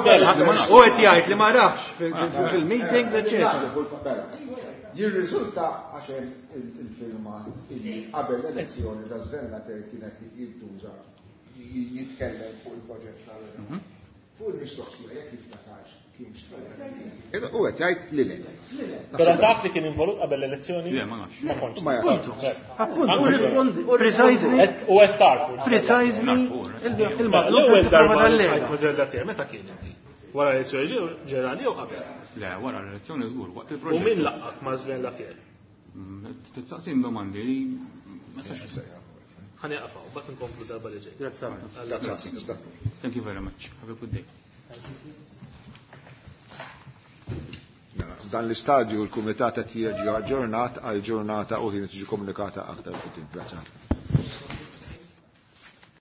U qed jgħid li ma rafx fil-meetings, eċetera.
Jirriżulta għax hemm il-filmat illi qabel l-elezzjoni da Sven Lathier kienet jintuża jitkellem fuq il-proġett tal Fuq il-mistoqsija jekk jiftakarx kienx. U qed jgħid li le.
Però taf li kien involut qabel l-elezzjoni?
Le, ma nafx.
Ma kontx.
Ma jafx.
Appunto,
U
rispondi- u
precisely,
U qed tarfu.
precisely
Narfu,
il-maqlub
L-ewwel
qed
darba
tipprova
li
tal-Lega.
tqajt ma' Sven Lathier, meta kien inti? Wara l-elezzjoni ġenerali jew qabel?
Le, wara l-elezzjoni żgur, waqt
U
il-proġett.
min laqgħek ma' Sven Lathier?
Tistaqsin domandi li ma sax.
Ħa nieqafaw, bat nkomplu darba li ġej.
Grazzi.
Grazzi.
Thank you very much. Have a good day.
Mela, F'dan l-istadju l-Kumitat qed jiġi aġġornat għal ġurnata u ħin tiġi komunikata aktar quddiem. Grazzi.